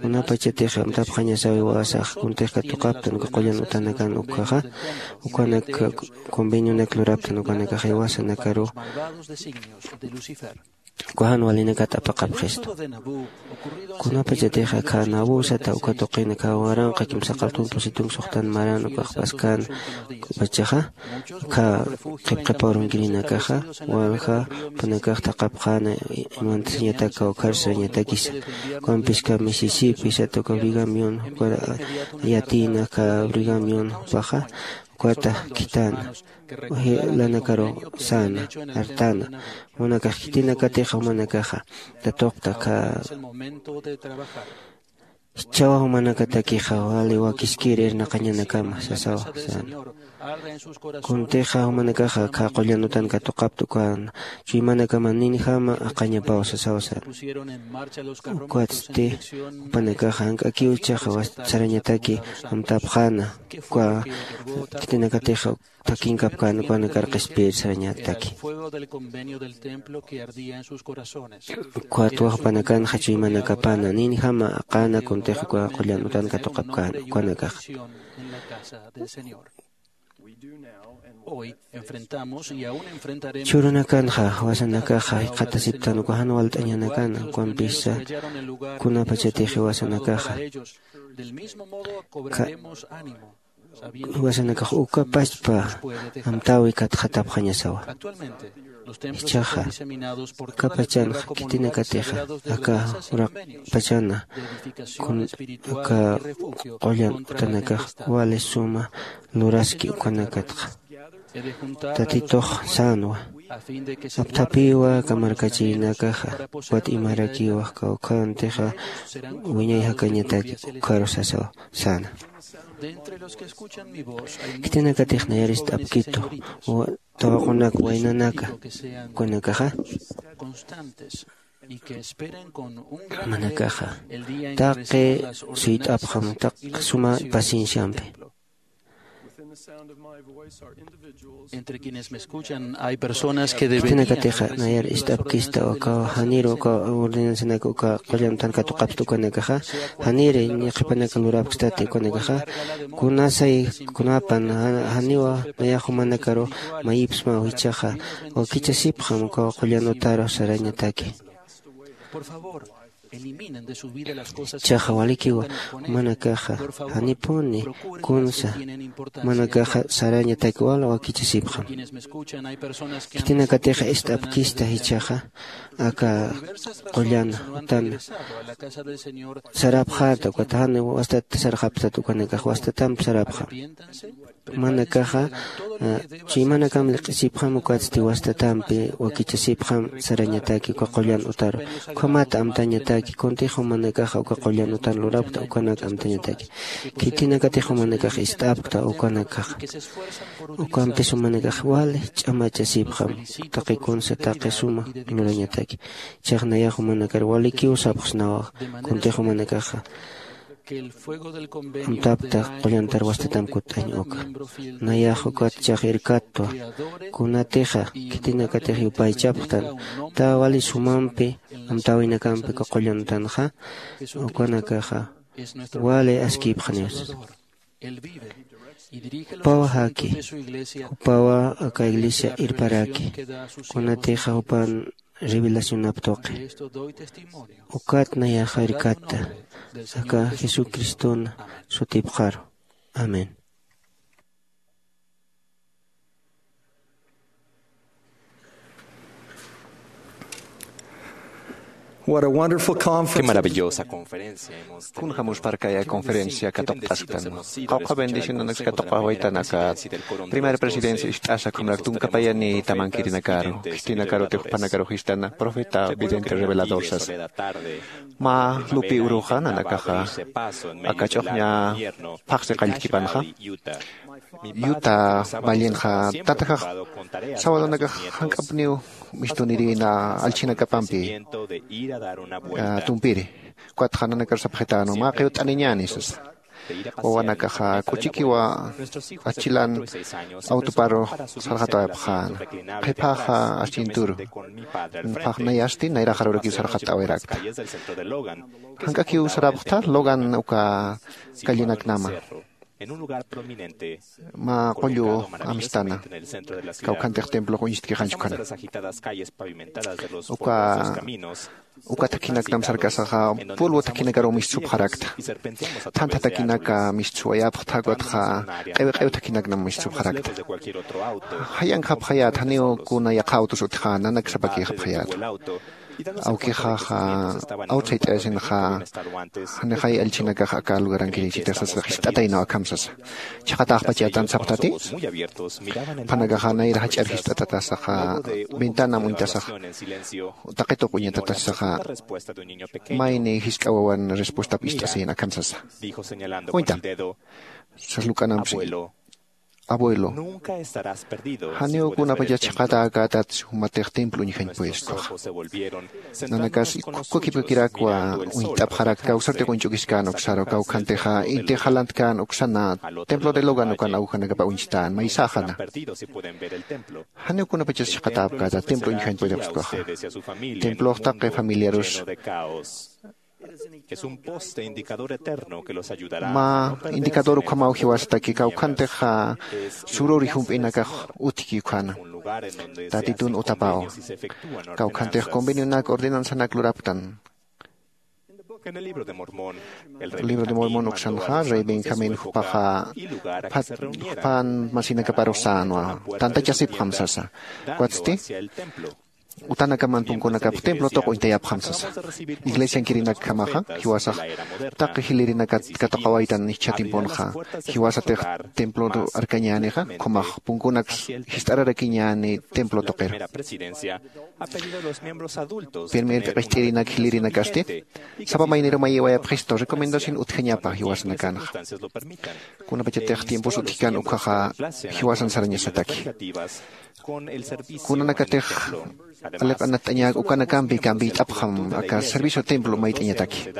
Kunapachatix amtapxañasaw jiwasax kuntix katuqaptan uka qullan utanakan ukkhaxa, ukanak convenionak luraptan ukanakax jiwasanakaru uka jan walinakat apaqapxistu. Kunapachatix aka Nabú sata uka tuqin aka waranqa kimsaqaltun pusitun suxtan maran ukax paskän pachaxa, aka qhipqhipa urunkirinakaxa, walja jupanakax thaqhapxäna, imantasiñatak kawkhar sarañatakisa. Ukampis aka Mississippi sata uka Brigham Young, uka yatïna aka Brigham Young jupaxa, ukata khitana, jilanakaru säna, artana, jumanakax khitinakatixa jumanakaxa tatuqta aka jichhawa jumanakatakixa wali wakiskir irnaqañanakama sasawa säna. Kuntixa jumanakaxa aka qullan utan katuqapta ukan chuymanakama ninjama aqañapaw sasawa säna. Ukatsti jupanakaxa jank'akiw jichhaxa sarañataki amtapxäna, uka khitinakatixa thakinkapkän ukanakar qhispiyir sarañataki. Ukatwa jupanakanxa chuymanakapäna, ninjama aqäna kuntix uka qullan utan katuqapkän ukanakaxa. Churanakanxa wasanakaxa jikxatasiptan uka jan walt'añanakana ukampisa kunapachatix wasanakaxa wasanakax uka pachpa amtäwi katxatapxañasawa. Jichhaxa akapachanxa khitinakatixa aka uraqpachana aka qullan utanakax wali suma luraski ukanakatxa tatitux sänwa. Apthapiwa kamarkachirinakaxa ukat imarakiwa kawkhantixa wiñay jakañataki ukharu sasaw säna. Khitinakatix nayar ist'apkitu tawaqunak waynanaka ukanakaxa manakaxa taqi suyt'apxam taqi suma pacienciampi. Khitinakatixa nayar ist'apkista uka janiru uka ordenanzanak uka qullan utan katuqapsta ukanakaxa janiri ñiqhipanaka lurapkstati ukanakaxa kunasay kunapan janiwa nayax jumanakaru mayipsmaw jichhaxa wakichasipxam uka qullan utaru sarañataki. Chaxa walikiwa jumanakaxa janipuni kunsa jumanakaxa sarañataki wal wakichasipxam. Khitinakatixa ist'apkista jichhaxa aka qullan utan sarapxäta ukat jan wastat sarxaptat ukanakax wastatamp sarapxam. Manakaxa chuymanakam liq'isipxam ukatsti wastatampi wakichasipxam sarañataki uka qullan utaru ukhamat amtañataki kuntix jumanakaxa uka qullan utan lurapkta ukanak amtañataki. Khitinakatix jumanakax ist'apkta ukanakaxa ukampis jumanakax wali ch'amachasipxam taqi kunsa taqi suma lurañataki. Chax nayax jumanakar walikiw sapxsnawa kuntix jumanakaxa amtapkta qullantar wastatam kutt'añ uka nayax ukat chax irkattwa kunatixa khitinakatix yupaychapxtan ta wali sumampi amtäwinakampi uka qullan utanxa ukanakaxa wali askïpxaniw sasa. Jupawa jaki jupawa aka iglesia irparaki kunatixa jupan revelacionap tuqi ukat nayaxa irkatta aka jesucristona sutipxaru. Amén. What a wonderful conference. Qué maravillosa conferencia. Kunjamuspar kaya conferencia katuqt'asktan qawqha bendicionanak katuqawaytan aka primera presidencia ist'asa khamarak tunkapayani tamankirinakaru khitinakarutix jupanakaru jistana profeta vidente revelador sasa. Mä lupi uruxa nanakaxa aka ch'uxña phaxsi qalltkipanxa yuta vallenxa tatajax sawadanakax jank'apniw mistunirïna allchhinakapampi tumpiri. Ukatxa nanakar sapxitänwa mä qiwt'aniñäni sasa. Wawanakaxa k'uchikiwa achilan autoparu sarxatawayapxäna qhiphaxa aschinturu. Phaxnayasti nayraxarurakiw sarxatawayrakta jank'akiw sarapxta logan uka callenaknama mä qullu amstana kawkhantix templox uñstkixanchukana. Uka uka thakhinaknam sarkasaxa pulwa thakhinakaruw mistsupxarakta. Thantha thakinaka mistswayapxta ukatxa q'iwi q'iw thakhinaknam mistsupxarakta. Jayankxapxayät janiw kuna yaqha autos utjäna nanak sapakïxapxayät. Awkixaxa awtsayt'ayasinxa janixay allchhinakax aka lugarankirichitix sasa jist'ataynaw akham sasa. Chhaqataxpachatan sapxtati phanakaxa nayra jach'ar jist'atatasaxa ventanam uñtasaxa taqituq uñatatasaxa mayni jisk'a wawan respuestap ist'asiyin akham sasa. Uñtam sas luk'anampsi abuelo janiw kunapachas chhaqatäkätat jumatix templo uñjañ pueskuxa. Nanakas kukipkakirakwa uñt'apxarakta kawsartix uñch'ukiskän uksaru kawkhantixa intix jalantkän uksana templo de logan ukan awjanakapa uñchtän maysäxana. Janiw kunapachas chhaqatäpkäta templo uñjañ puedixpskuxa. Templox taqi familiarus Es un poste indicador eterno que los ayudará a no perderse en el camino. Mä indicador ukhamaw jiwasataki kawkhantix sururi jump'inakax utjki ukhana. Tatitun utapawa. Kawkhantix convenionak ordenanzanak lurapktan. En el libro de Mormón, el rey Benjamín mandó a los sacerdotes de su época y lugar en que se reunieran, a una hora, a una puerta de la ciudad, dando hacia el templo. Utanakaman punkunakap templo tuq'uñtayapxam sasa. Iglesiankirinakjamaxa jiwasax taqi jilirinakat katuqawaytan jichha timpunxa, jiwasatix templo arkañänixa, ukhamax punkunaks jist'ararakiñäni templo tuqiru. Primer k'aqist'irinak jilirinakasti sapa mayniru mayiwayapxistu recomendación utjañapa jiwasanakanxa. Kunapachatix tiempos utjkan ukkhaxa jiwasan sarañasataki. Kunanakatix aliq'anatt'añäk ukanakampi campiyt'apxam aka servicio templo mayt'añataki.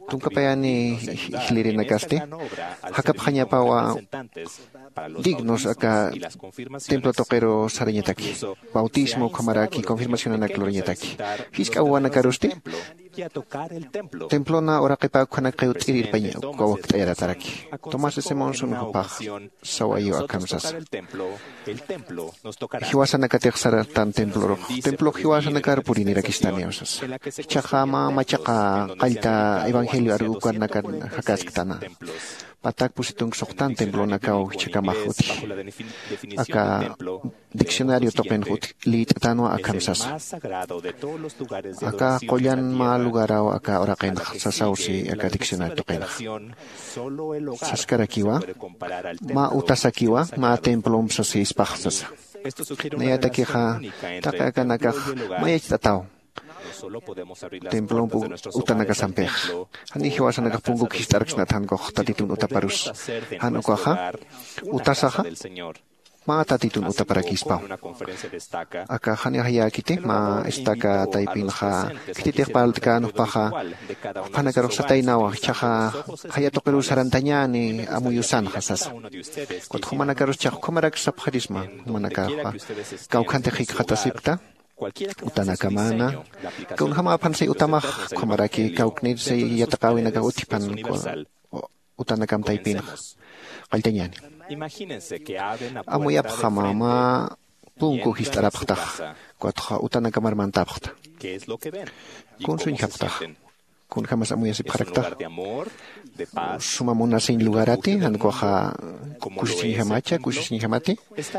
Tunka payani jilirinakasti jakapxañapawa dignos aka templo tuqiru sarañataki. Bautismo ukhamaraki confirmacionanak lurañataki. Jisk'a wawanakarusti templona uraqipa ukhanak qiwt'ir irpañ uka wakt'ayarataraki. Tomás de Simonson jupax sawayu akham sasa. Jiwasanakatix saratan templorux, templox jiwasanakar purinirakistaniw sasa. Jichhaxa mä machaqa qallta evangelio aruw ukanakar jakasktana. Patak pusi tunka suxtan templonakaw jichhakamax utji. Aka diccionario tuqinx utji liyt'atanwa akham sasa. Aka qullan mä lugaraw aka uraqinx sasaw si aka diccionario tuqinx. Saskarakiwa mä utasakiwa mä templomp sasispax sasa. Nayatakixa taqi akanakax mayacht'ataw templomp utanakasampixa. Janiw jiwasanakax punkuk jist'araksnat jan ukax tatitun utaparus. Jan ukaxa utasaxa mä tatitun utaparakispaw. Aka janiw jayäkiti mä estaca taypinxa khititix parlt'kän jupaxa juphanakarux sataynawa jichhaxa jaya tuqiruw sarantañäni amuyusanxa sasa. Ukat jumanakarus jichhax ukhamarak sapxarisma jumanakaxa kawkhantix jikxatasipkta utanakamana kunjämäpxan say utamax ukhamaraki kawknir say yatiqäwinakax utjipxan utanakam taypinxa qalltañäni. Amuyapxama mä punku jist'arapxtaxa ukatxa utanakamar mantapxta. Kunsuñjapxtaxa kunjämas amuyasipxaraktaxa suma munasiñ lugarati jan ukaxa kusisiñjamacha kusisiñjamati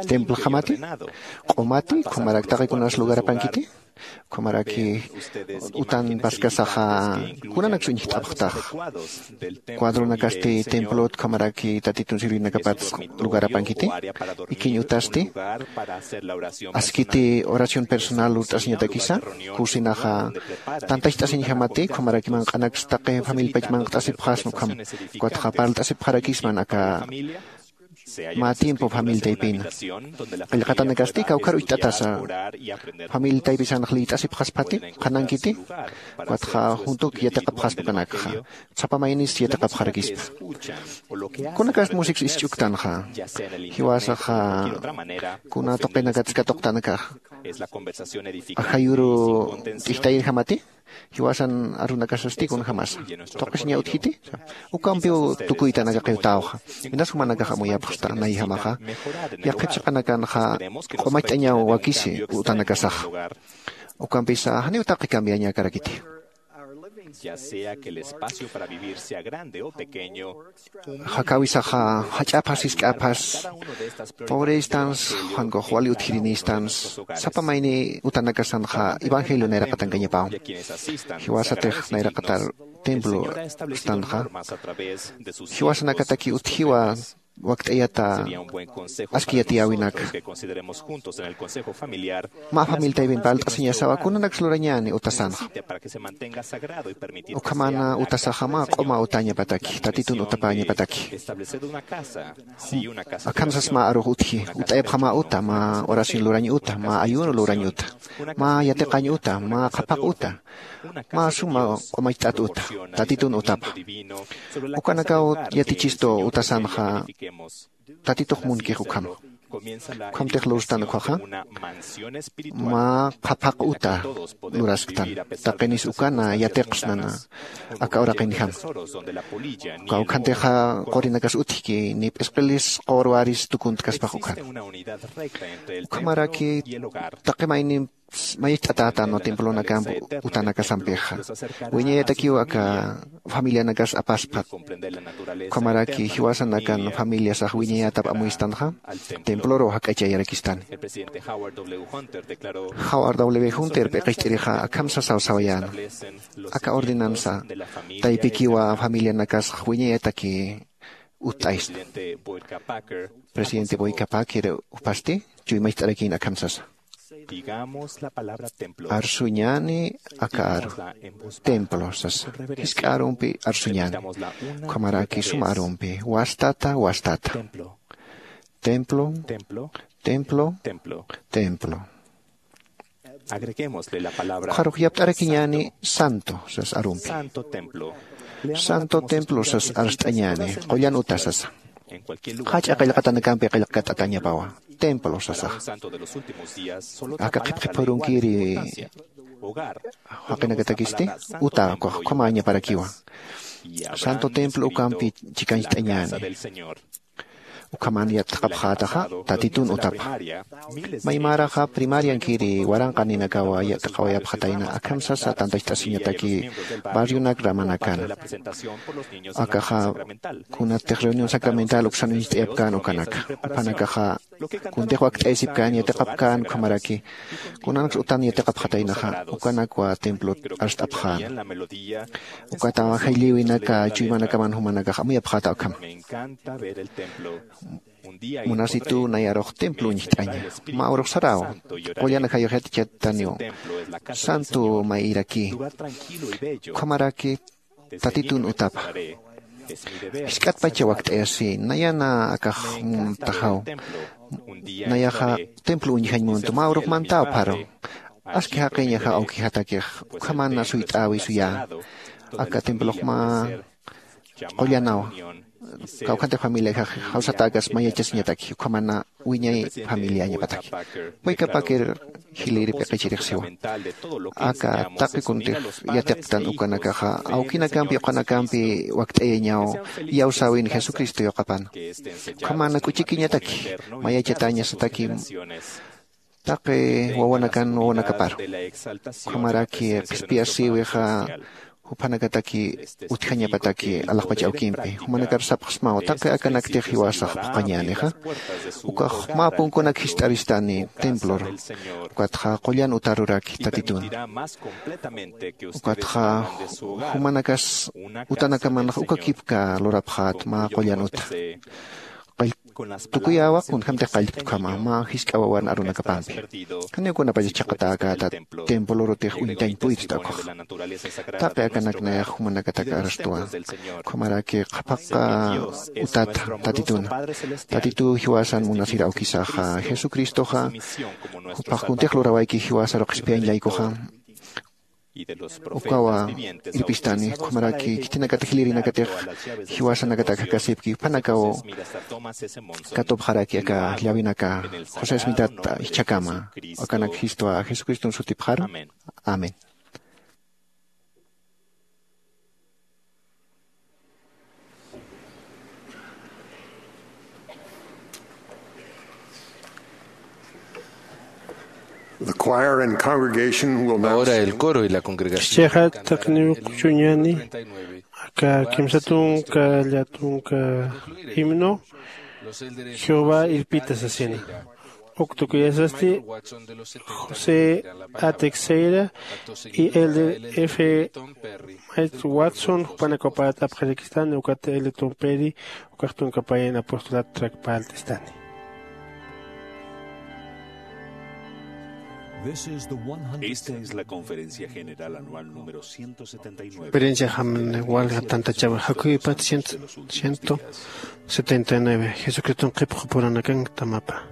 templojamati q'umati ukhamarak taqi kunas lugarapankiti ukhamaraki utan paskasaxa kunanaksa uñjt'apxtax cuadronakasti templot ukhamaraki tatitun sirvinakapats lugarapankiti ikiñ utasti askiti oración personal lurt'asiñatakisa kusinaxa tantacht'asiñjamati ukhamaraki manq'anaksa taqi familipach manqt'asipxasma ukham ukatxa parlt'asipxarakisman aka mä tiempo familia taypina qillqatanakasti kawkhar ucht'atasa familia taypisanx liyt'asipxaspati qhanankiti ukatxa juntuk yatiqapxaspa ukanakxa sapa maynis yatiqapxarakispa. Kunakasti musiks isch'uktanxa jiwasaxa kuna tuqinakatsi katuqtanakaxa ajayuru t'ijtayirjamati jiwasan arunakasasti kunjämasa tuqisiña utjiti ukampiw tukuytanakaqiwtäwxa. Inas jumanakax amuyapxsta nayjamaxa yaqhip chiqanakanxa q'umacht'añaw wakisi utanakasaxa ukampisa janiw taqi cambiañakarakiti. Jakäwisaxa jach'aphas jisk'aphas pobre istans jan ukax wali utjiriniy istans sapa mayni utanakasanxa evangelio nayraqatankañapaw. Jiwasatix nayraqatar templo istanxa jiwasanakataki utjiwa wakt'ayata aski yatiyäwinaka mä familia taypin parlt'asiñasawa kunanaks lurañäni utasanxa ukhamana utasaxa mä q'uma utañapataki tatitun utapäñapataki. Akham sas mä arux utji ut'ayapxama uta mä oración lurañ uta mä ayuno lurañ uta mä yatiqañ uta mä qhapaq uta mä suma q'umacht'at uta tatitun utapa. Ukanakaw yatichistu utasanxa tatitux munkix ukhama Ukhamtix lurstan ukhaxa, mä qhaphaq uta lurasktan, taqinis ukana yatiqsnana aka uraqinjama. Kawkhantixa qurinakas utjki, ni p'isqilis qurwaris tukuntkaspax ukhan. Ukhamaraki taqi maynim mayist'atätan templonakamp utanakasampixa. Wiñayatakiw aka familianakas apaspat. Ukhamaraki jiwasanakan familiasax wiñayatap amuyistanxa, temploru jak'achayarakistani. Howard W. Hunter p'iqicht'irixa akham sasaw sawayäna. Aka ordenansa taypikiwa familianakasax wiñayataki utt'aysta. Presidente Boyka Packer jupasti chuymacht'arakïn akham sasa. Arsuñäni aka aru. Templo sasa. Jisk'a arumpi arsuñäni. Ukhamaraki suma arumpi. Wastata, wastata. Templo, templo, templo. Ukharux yapt'arakiñäni santo sas arumpi. Santo templo sas arst'añäni, qullan uta sasa. Jach'a qillqatanakampi qillqat'atäñapawa. Templo sasax. Aka qhipqhipürunkiri jaqinakatakisti, uta ukax ukhamäñaparakiwa. Santo templo ukampi chikañcht'añäni. Ukhaman yatiqapxätaxa Tatitun utapa. Maymäraxa primariankiri waranqaninakawa yatiqawayapxatayna akham sasa tantacht'asiñataki barrionak ramanakana. Akaxa kunatix reunión sacramental uksan uñst'ayapkän ukanaka. Jupanakaxa kuntix wakt'ayasipkän yatiqapkän ukhamaraki kunanaks utan yatiqapxataynaxa ukanakwa templot arst'apxäna. Ukata jilliwinaka chuymanakaman jumanakax amuyapxäta ukhama. Munasitu nayarux templo uñjt'aña. Mä urux saraw. Qullan ajayux yatichattaniw. Santo mayirakï. Ukhamaraki Tatitun utapa. Jisk'atpacha wakt'ayasï, nayana akax muntaxaw. Nayaxa templo uñjañ muntu, mä urux mantäw pharu. Aski jaqiñaxa awkijatakix, ukhamana suyt'äwi suyä. Aka templox mä qullanawa. Kawkhantix familiajax jawsatäkas mayachasiñataki, ukhamana wiñay familiañapataki. Boyka Packer jilïri p'iqichirix siwa. Aka taqi kuntix yatiqtan ukanakaxa, awkinakampi, uqanakampi wakt'ayañaw, iyawsäwin Jesucristo yuqapan. Ukhamana k'uchikiñataki, mayachatäñasataki, taqi wawanakan wawanakaparu. Ukhamaraki qhispiyasïwixa, juphanakataki utjañapataki alaxpach awkimpi. Jumanakar sapxsmaw, taqi akanaktix jiwasax phuqhañänixa. Ukax mä punkunak jist'aristani templor. Ukatxa qullan utaruraki Tatitun. Ukatxa jumanakas utanakamanxa ukakipka lurapxät mä qullan uta. Qall-, tukuyäwa kunjamtix qallpt'khama mä jisk'a wawan arunakapampi. Janiw kunapachas chhaqatäkäta templorutix uñtañ puyt'ta ukhax. Taqi akanak nayax jumanakatak arstwa. Ukhamaraki qhapaqqa utata Tatituna. Tatitu jiwasan munasir awkisaxa Jesucristoxa, jupax kuntix lurawayki jiwasaru qhispiyañ laykuxa. Ukawa irpistani, ukhamaraki khitinakatix jilïrinakatix jiwasanakatak jakasipki, juphanakaw katupxaraki aka llawinaka José Smithata jichhakama, akanak jistwa Jesucriston sutipxaru. Amén. The choir and congregation will now Ahora el coro y la congregación Chixa cantarán el taqiniw himno quchuñani, treinta y nueve. Aka kimsa tunka, lla tunka himno, Jehová irpita sasina. Uk tukuyasasti José A. Teixeira y Elder F. Mike Watson, jupanak wapatäpxarakistani, ukat Elder Tom Perry, ukax tunka payan apostolado track parlt'istani. Esta es la conferencia general anual número ciento setenta y nueve. Conferencia general walja tantachawi jakuypat ciento setenta y nueve. Jesucriston qhipxu puranakan tamapa.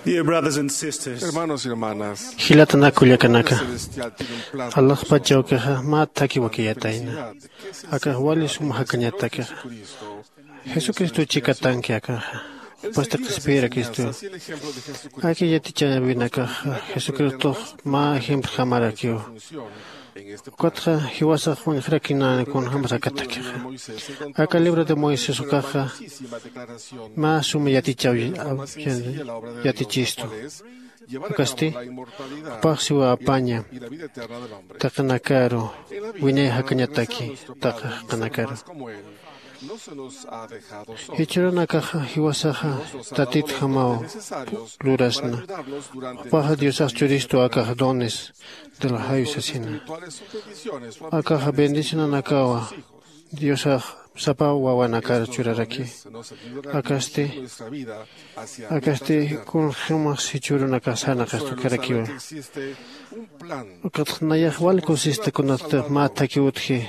Dear brothers and sisters, hermanos y hermanas, jilatanaka kullakanaka, alaxpachawkixa mä thaki wakiyatayna. Akax wali sum jakañatakixa, jesucristo chikatanki akaxa, jupasti qhispiyirakistu. Aki yatichäwinakaxa jesucristox mä ejemplo jamarakiw. Ukatxa jiwasax uñjarakinäni kunjämas akatakixa. Aka libro de moisés ukaxa mä suma yatichaw yatichistu. Ukasti jupax siwa apaña taqinakaru, wiñay jakañataki taqi jaqinakaru. Jichhürunakaxa jiwasaxa tatitjamaw lurasna. Jupaxa diosax churistu akax dones de la jayu sasina. Akaxa bendicionanakawa diosax sapa wawanakar churaraki. Akasti akasti kunjämas jichhürunakax sarnaqastukärakiwa. Ukatxa nayax wali kusista kunatix mä thaki utji.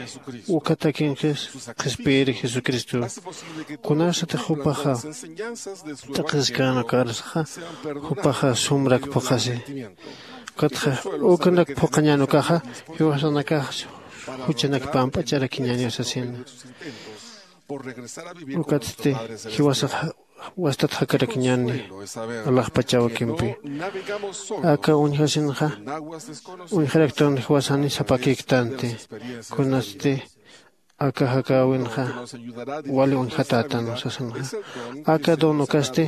Uka thakinqis qhispiyiri jesucristo. Kunasatix jupaxa t'aqhiskänakarsaxa jupaxa sumrak phuqhasi. Ukatxa ukanak phuqhañän ukaxa jiwasanakax juchanak pamp'acharakiñäniw sasina. Ukatsti jiwasax wastat jakarakiñäni alaxpachawkimpi. Aka uñjasinxa uñjaraktan jiwasani sapakïktanti. Kunatsti aka jakäwinxa wali uñjatätan sasinxa. Aka don ukasti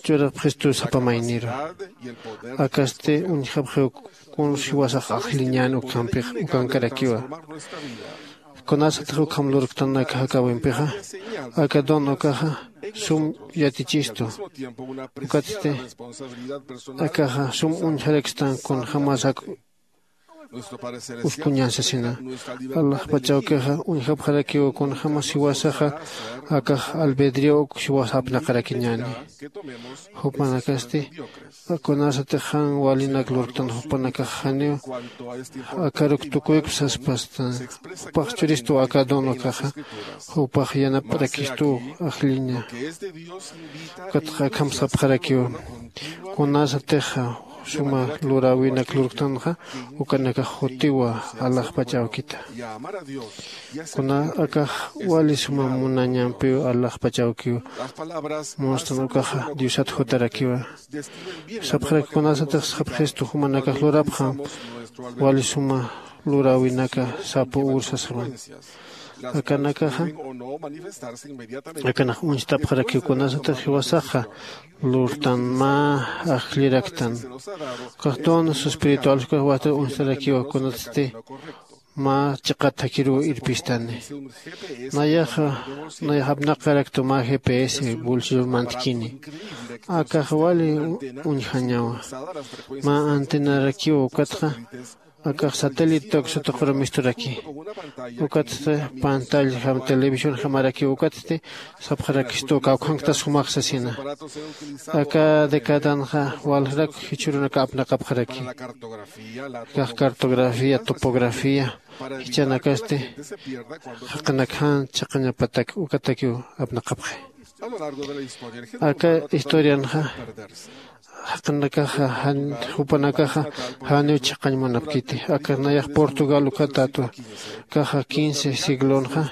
churapxistu sapa mayniru. Akasti uñjapxiw kuns jiwasax ajlliñän ukhampix ukankarakiwa. Kunasatix ukham lurktan aka jakäwimpixa aka don ukaxa sum yatichistu. Ukatsti akaxa sum uñjarakstan kunjämas ak uskuñän sasina. Alaxpachawkixa uñjapxarakiw kunjämas jiwasaxa akax albedrio uk jiwasa apnaqarakiñäni. Jupanakasti kunasatix jan walinak lurktan jupanakax janiw akaruk tukuykup saspastan. Jupax churistu aka don ukaxa jupax yanaparakistu ajlliña. Ukatxa akham sapxarakiw kunasatixa suma luräwinak lurktanxa ukanakax jutiwa alaxpach awkita. Kuna akax wali suma munañampiw alaxpach awkiw. Munstan ukaxa diosat jutarakiwa. Sapxaraki kunasatix sapxistu jumanakax lurapxam wali suma luräwinaka sapu ur sasaman. Akanakaxa akanax uñstapxarakiw kunasatix jiwasaxa lurtan mä ajlliraktan. Ukax dones espirituales ukax wajt'ir uñstarakiwa kunatsti mä chiqat thakiruw irpistani. Nayaxa nayax apnaqaraktu mä gps bolsillo mantkini. Akax wali uñjañawa. Mä antenarakiwa ukatxa akax satélite uksa tuquru misturaki. Ukatsti pantalla jam televisión jamarakiw ukatsti sapxarakistu kawkhanktas jumax sasina. Aka decadanxa waljarak jichhürunaka apnaqapxaraki. Kax cartografía topografía jichanakasti jaqinakjan chiqañapatak ukatakiw apnaqapxi. Aka historianxa jaqinakaxa jupanakaxa janiw chiqañ munapkiti. Aka nayax portugal ukhatätwa. Kaxa quince siglonxa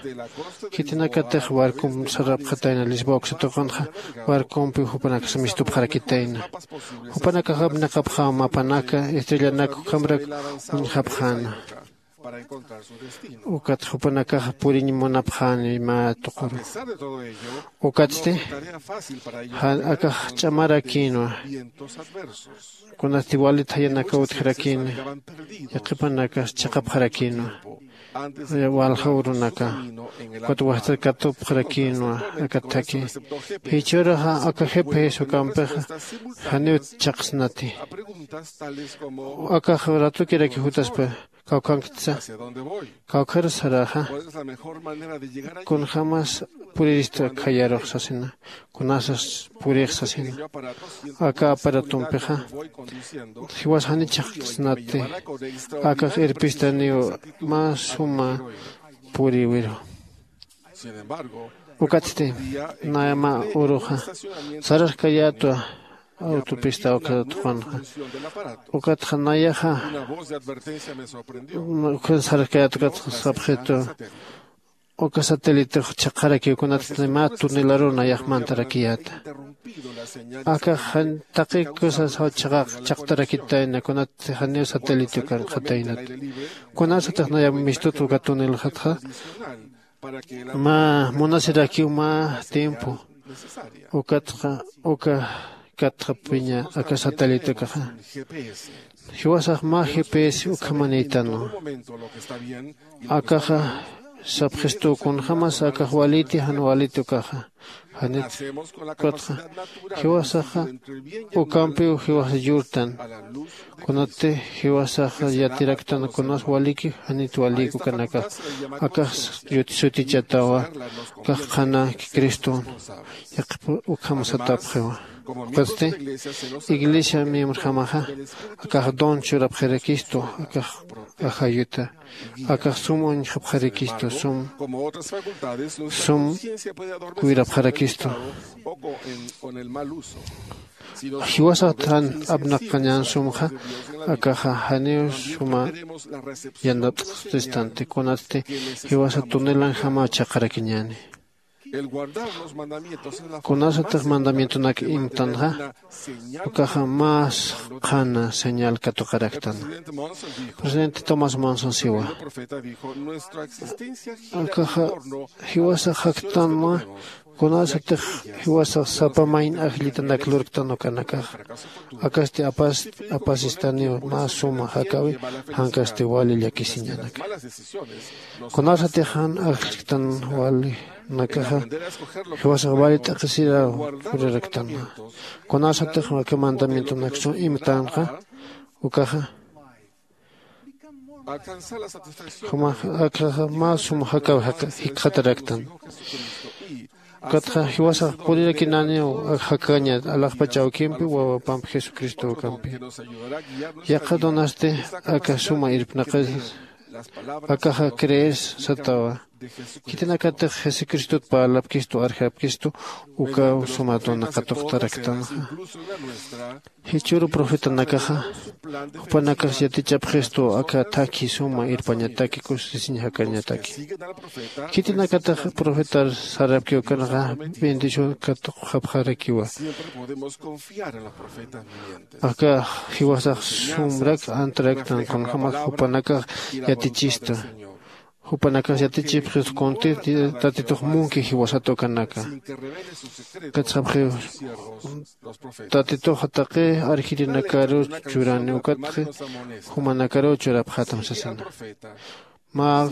khitinakatix barcomp sarapxatayna lisboa uksa tuqunxa. Barcompiw jupanakasa mistupxarakitayna. Jupanakax apnaqapxäw mapanaka estrellanak ukhamrak uñjapxäna. Ukat jupanakaxa puriñ munapxäni mä tuquru. Ukatsti akax ch'amarakïnwa. Kunasti wali thayanakaw utjarakïna. Yaqhipanakas chiqapxarakïnwa walja urunaka. Ukat wajtat katupxarakïnwa. Aka thaki jichhüruxa aka gps ukampixa janiw chhaqsnati. Akax ratukiraki jutaspa kawkhanktsa? Kawkhar saraxa kunjämas purirista khayarux sasina. Kunasas purix sasina. Aka aparatompixa jiwas jani chhaqsnati. Akax irpistaniw mä suma puriwiru. Ukatsti naya mä uruxa sararkayätwa. autopista ukatxa. Ukatxa nayaxa ukan sarkayät ukatxa sapxitu. Uka satélite chhaqarakiw kunat mä tunelaru nayax mantarakiyäta. Akax jan taqi cosas chhaqaq chhaqtarakitayna kunat janiw satélite ukan qhataynat. Kunasatix naya mistut uka tunelxatxa mä munasirakiw mä tiempo ukatxa uka katxapiña aka satélite ukaxa. Jiwasax mä GPS ukhamanïtanwa. Akaxa sapxistu kunjämas akax waliti jan waliti ukaxa. Janit ukatxa jiwasaxa ukampiw jiwasa yurtan. Kunati jiwasaxa yatiraktan kunas waliki janit waliki ukanakax. Akax yut sutichatawa. Akax qhana criston yaqhip ukham satapxiwa. Ukatsti iglesia miembrojamaxa akax don churapxarakistu akax ajayuta. Akax sum uñjapxarakistu sum sum cuidapxarakistu. Jiwasax jan apnaqañän sumxa akaxa janiw suma yanapt'xistanti kunatsti jiwasa tunelanjamaw chhaqarakiñäni. Kunasatix mandamientonak imtanxa ukaxa más qhana señal katuqaraktan. Presidente Thomas Monson siwa akaxa jiwasax jaktanwa. Kunasatix jiwasax sapa mayn ajllitanak lurktan ukanakaxa akasti apasistaniw mä suma jakäwi jankasti wali llakisiñanaka. Kunasatix jan ajllktan wali nakaxa jiwasax wali t'aqhisiraw puriraktanwa. Kunasatix aka mandamientonak sum imtanxa ukaxa jumax akaxa mä sum jakaw jikxataraktan. Ukatxa jiwasax purirakinaniw jakaña alaxpach awkimpi wawapamp jesucristo ukampi. Yaqha donasti aka suma irpnaqis akaxa crees satawa. Khitinakatix jesucristot parlapkistu arjapkistu ukaw suma dona qatuqtaraktanxa. Jichhüru profetanakaxa jupanakax yatichapxistu aka thakhi suma irpañataki kusisiñ jakañataki. Khitinakatix profetar sarapkiw ukanxa bendición katuqxapxarakiwa. Aka jiwasax sumrak antaraktan kunjämas jupanakax yatichista. Jupanakax yatichipxis kunti tatitux munki jiwasat ukanaka. Katsxapxiw tatituxa taqi arjirinakaruw churani ukatxi jumanakaruw churapxätam sasina. Mä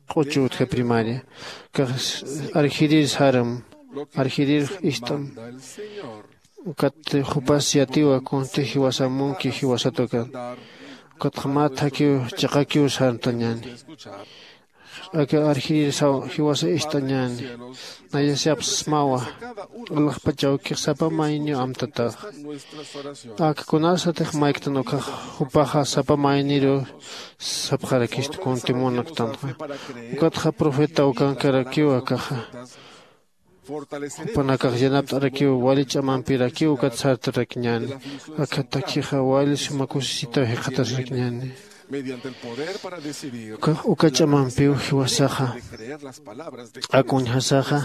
q'uchu utja primaria kax arjirir saram arjirir ist'am. Ukat jupas yatiwa kunti jiwasa munki jiwasat ukan. Ukatxa mä thakiw chiqakiw sartañäni. Aka arjirir saw jiwasa ist'añäni. Nayasiyapsmawa alaxpach awkix sapa mayniw amtataxa. Ak kunasatix mayktan ukax jupaxa sapa mayniruw sapxarakistu kunti munaktanxa. Ukatxa profeta ukankarakiw akaxa jupanakax yanapt'arakiw wali ch'amampirakiw ukat sartarakiñäni. Aka takhixa wali suma kusisitaw jikxatasirakiñäni. Uka ch'amampiw jiwasaxa ak uñjasaxa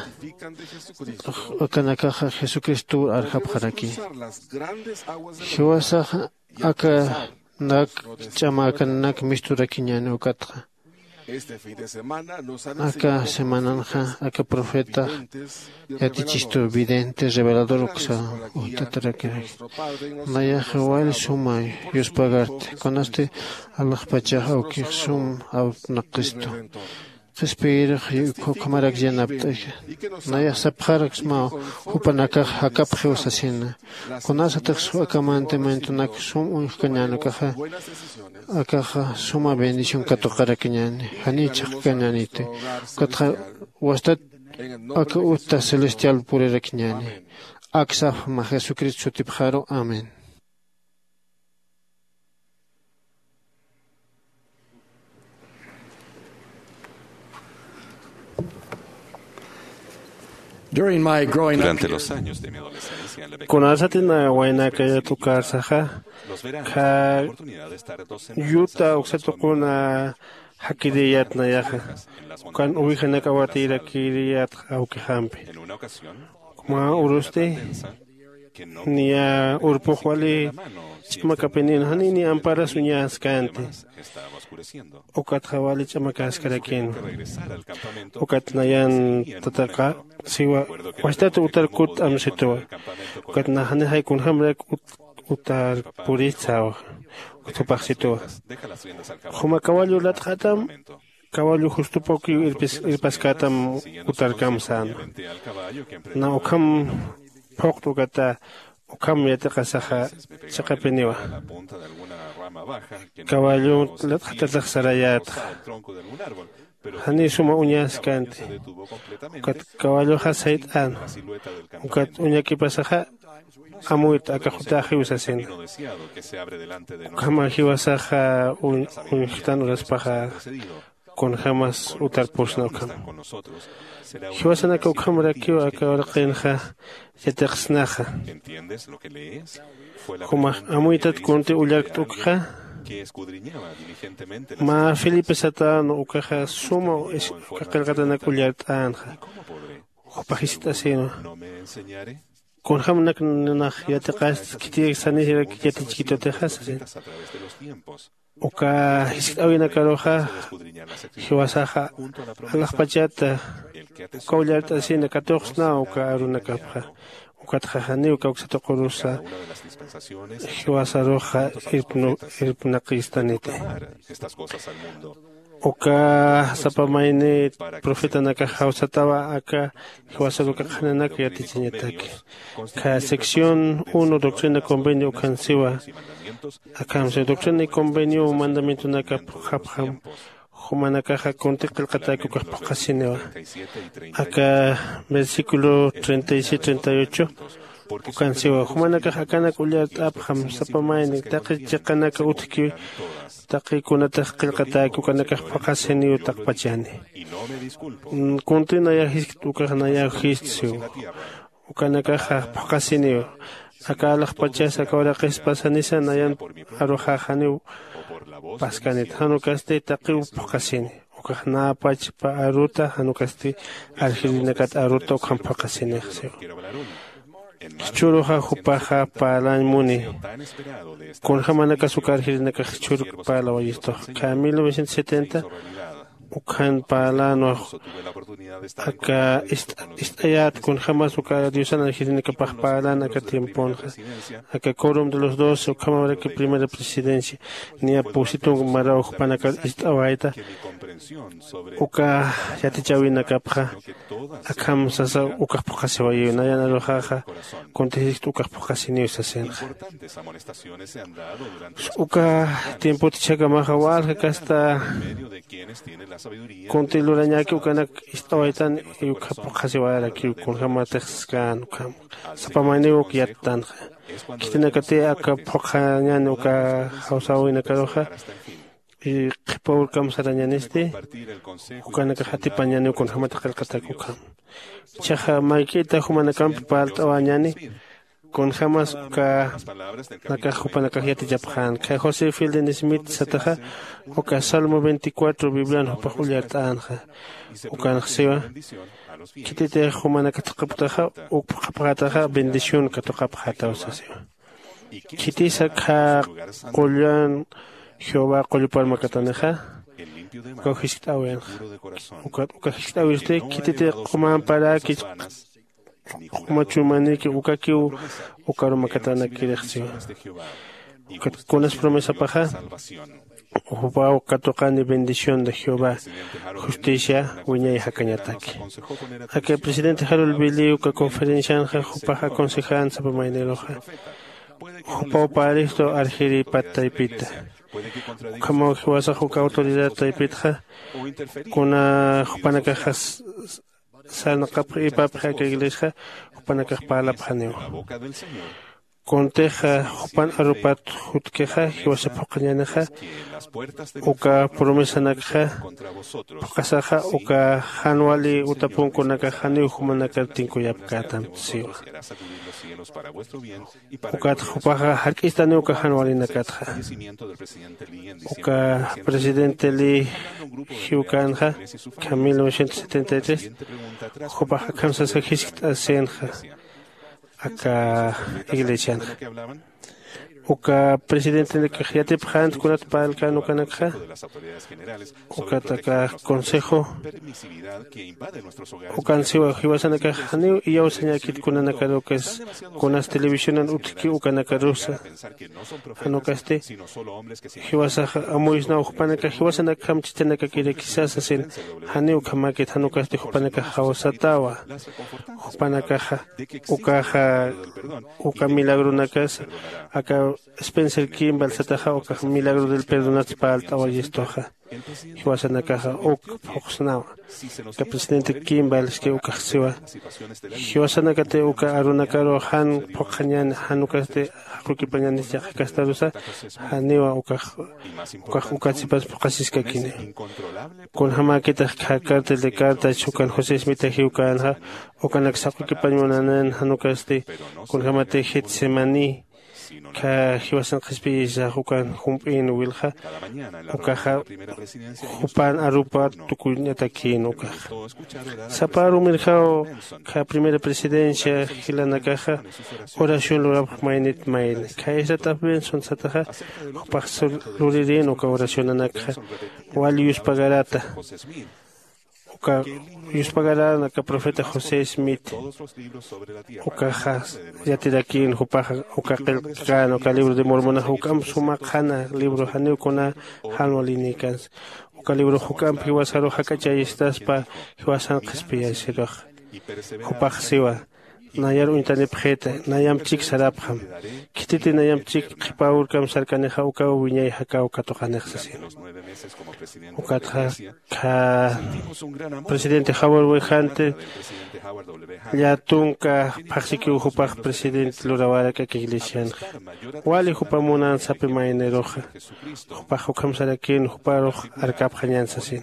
akanakaxa jesucristowar arjapxaraki. Jiwasaxa aka nak ch'ama akanak misturakiñäni ukatxa. Aka semananxa aka profetax yatichistu vidente revelador uksa utatarakiraki. Nayaxa wali suma yuspagarti kunasti alaxpachax awkix sum awtnaqistu. Qhispiyirux ukhamarak yanapt'axa. Nayax sapxaraksmaw jupanakax jakapxiw sasina. Kunasatix aka mandamientonak sum uñjkañäni ukaxa akaxa suma bendición katuqarakiñäni janiw chhaqkañäniti. Ukatxa wastat aka uta celestial purirakiñäni. Aksapxma jesucristo sutipxaru amén. Durante los años de mi adolescencia en la pequeña kunasatïna waynakayat ukarsaxa, kha yuta uksatuquna jakiriyat nayaxa, ukan uwijanak awatirakiriyat awkixampi. Mä urusti niya urpux wali ch'amakapinïn, janiw ni amparas uñaskänti. Ukatxa wali ch'amakaskarakïn. Ukat nayan tataqa siwa, wasitat utar kutt'am situwa. Ukat nax janixay kunjämarak ut utar purït säwa. Ukat jupax situwa, juma kawallu latxatam, kawallu justupakiw irpis irpaskätam utarkam säna. Na ukham phuqta ukata ukham yatiqasaxa chiqapiniwa. Kawallu latxatatix sarayätxa, janiw suma uñaskänti. Ukat kawalluxa sayt'äna. Ukat uñakipasaxa amuyta aka jutäxiw sasina. Ukhama jiwasaxa uñjtan uraspaxa kunjämas utar pusna ukham. Jiwasanaka ukhamarakiw aka uraqinxa yatiqsnaxa. Jumax amuytat kunti ullarkt'ukxa. Mä felipe satänwa ukaxa suma qillqatanak ullart'änxa. Jupax jiskt'asïnwa, kunjämanak nax yatiqasti khitirak sanisirak yatichkitutixa sasina. Uka jiskt'äwinakaruxa jiwasaxa alaxpachata uka ullart'asina katuqsnaw uka arunakapxa. Ukatxa janiw kawksatuqurusa jiwasaruxa irpnaqistaniti. Uka sapa mayni profetanakax jawsatawa aka jiwasaruka qhananak yatichañataki. Kha sección uno doctrina convenio ukhan siwa. Akham siwa doctrina y convenio mandamientonakap japjam jumanakaxa kunti qillqatäki ukax phuqhasiniwa. Aka versículo treinta y siete treinta y ocho ukan siwa, jumanakax akanak ullart'apxam sapa mayni taqi chiqanaka utjki, taqi kunatix qillqatäki ukanakax phuqhasiniw taqpachani. Kunti nayax jiskt ukax nayaw jiskt siw. Ukanakaxa phuqhasiniw. Aka alaxpachas aka uraqispasanisa nayan aruxax janiw paskanit, jan ukasti taqiw phuqhasini. Ukax näpachpa aruta jan ukasti arjirinakat aruta ukham phuqhasinix siw. Jichhüruxa jupaxa parlañ muni. Kunjämanakas uka arjirinakax jichhüruk parlawayistux. Kha mil novecientos setenta ukhan parlana aka ist'ayät kunjämas uka diosan arjirinakapax parlana aka tiemponxa. Aka corum de los doce ukhamaraki primera presidencia niya pusitung maraw jupanakar ist'awayta. Uka yatichäwinakapxa akham sasa ukax phuqhasiwayiw nayan aruxaxa kunti jiskt ukax phuqhasiniw sasinxa. Uka tiempot jichhakamaxa walja kasta kunti lurañäki ukanak ist'awaytan y ukxa phuqhasiwayarakiw kunjämatix saskäna ukham sapa mayniw uk yattanxa. Khitinakati aka phuqhañäni uka jawsäwinakaruxa y qhipa urkam sarañänisti ukanakax atipañäniw kunjämat qillqatak ukham. Jichhaxa mayk'ita jumanakampi parlt'awañäni kunjämas ukanakax jupanakax yatichapxän. Kha josé fildin smith sataxa uka salmo veinticuatro biblian jupax ullart'änxa. Ukanx siwa, khititix jumanaka thaqhaptaxa uk phuqhapxätaxa bendición katuqapxätaw sasiwa. Khitisa kha qullan jehová qullupar makatanixa ukaw jiskt'äwinxa. Ukat uka jiskt'äwisti khititi qumamparäki q'uma chumanïki ukakiw ukaru makatanakirix siwa. Ukat kunas promesapaxa jupaw katuqani bendición de jehová justicia wiñay jakañataki. Aka presidente jarol billiw uka conferencianxa jupax aconsejän sapa mayniruxa jupaw paristu arjiripat taypita. Ukhamaw jiwasax uka autoridad taypitxa kuna jupanakaxa sarnaqapxi ipapxi aka iglesiaxa jupanakax parlapxaniwa. Kuntixa jupan arupat jutkixa jiwasa phuqhañänixa, uka promesanakxa phuqhasaxa uka jan wali utapunkunakax janiw jumanakar tinkuyapkätam siwa. Ukat jupaxa jark'istaniw uka jan walinakatxa. Uka presidente li jiwkänxa, ukham mil novecientos setenta y tres, jupax akham sasa jiskt'asinxa aka iglesianxa. Uka presidentenakax yatipxänt kunat parlkän ukanakxa. Ukat aka consejo ukan siwa, jiwasanakax janiw iyawsañäkit kunanakarukis, kunas televisionan utjki ukanakarusa. Jan ukasti jiwasax amuysnaw jupanakax jiwasanakjam chichanakakiraki sasa sasin. Janiw ukhamäkit, jan ukasti jupanakax jawsatäwa. Jupanakaxa ukaxa uka milagronakasa aka Spencer Kimball sataxa ukax milagro del perdonats parlt'awayistuxa. Jiwasanakaxa uk phuqsnawa. Aka presidente Kimball iski ukax siwa, jiwasanakati uka arunakaru jan phuqxañäni, jan ukasti jaqukipañänis yaqha kastarusa, janiwa ukax ukax ukatsipas phuqhasiskakini. Kunjämäkitix kha cartel de cartach ukan José Smith jiwkänxa, ukanak saqukipañ munanän, jan ukasti kunjämati Getsemaní kha jiwasan qhispiyisax ukan jump'in wilxa, ukaxa jupan arupat tukuñatakïn ukaxa. Sapa arumirjaw kha primera presidencia jilanakaxa oración lurapx maynit mayni. Kha Ezra Taft Benson sataxa jupax luririn uka oracionanakxa wal yuspagarata. Uka yuspagarän aka profeta José Smith. Ukaxa yatirakïn jupaxa uka qillqkän uka libro de Mormonaxa, ukamp suma qhana libro, janiw kuna jan walinïkänsa. Uka librox juk'amp jiwasarux jak'achayistaspa jiwasan qhispiyasirux. Jupax siwa, nayar uñtanipxita, nayamp chik sarapxam. Khititi nayamp chik qhipa urkamp sarkanixa ukaw wiñay jakaw katuqanix sasin. Ukatxa kha presidente Howard W. Hunter llätunka phaxsikiw jupax presidente lurawärak aka iglesianxa. Wali jupa munan sapi mayniruxa. Jupax ukham sarakïn juparux arkapxañän sasin.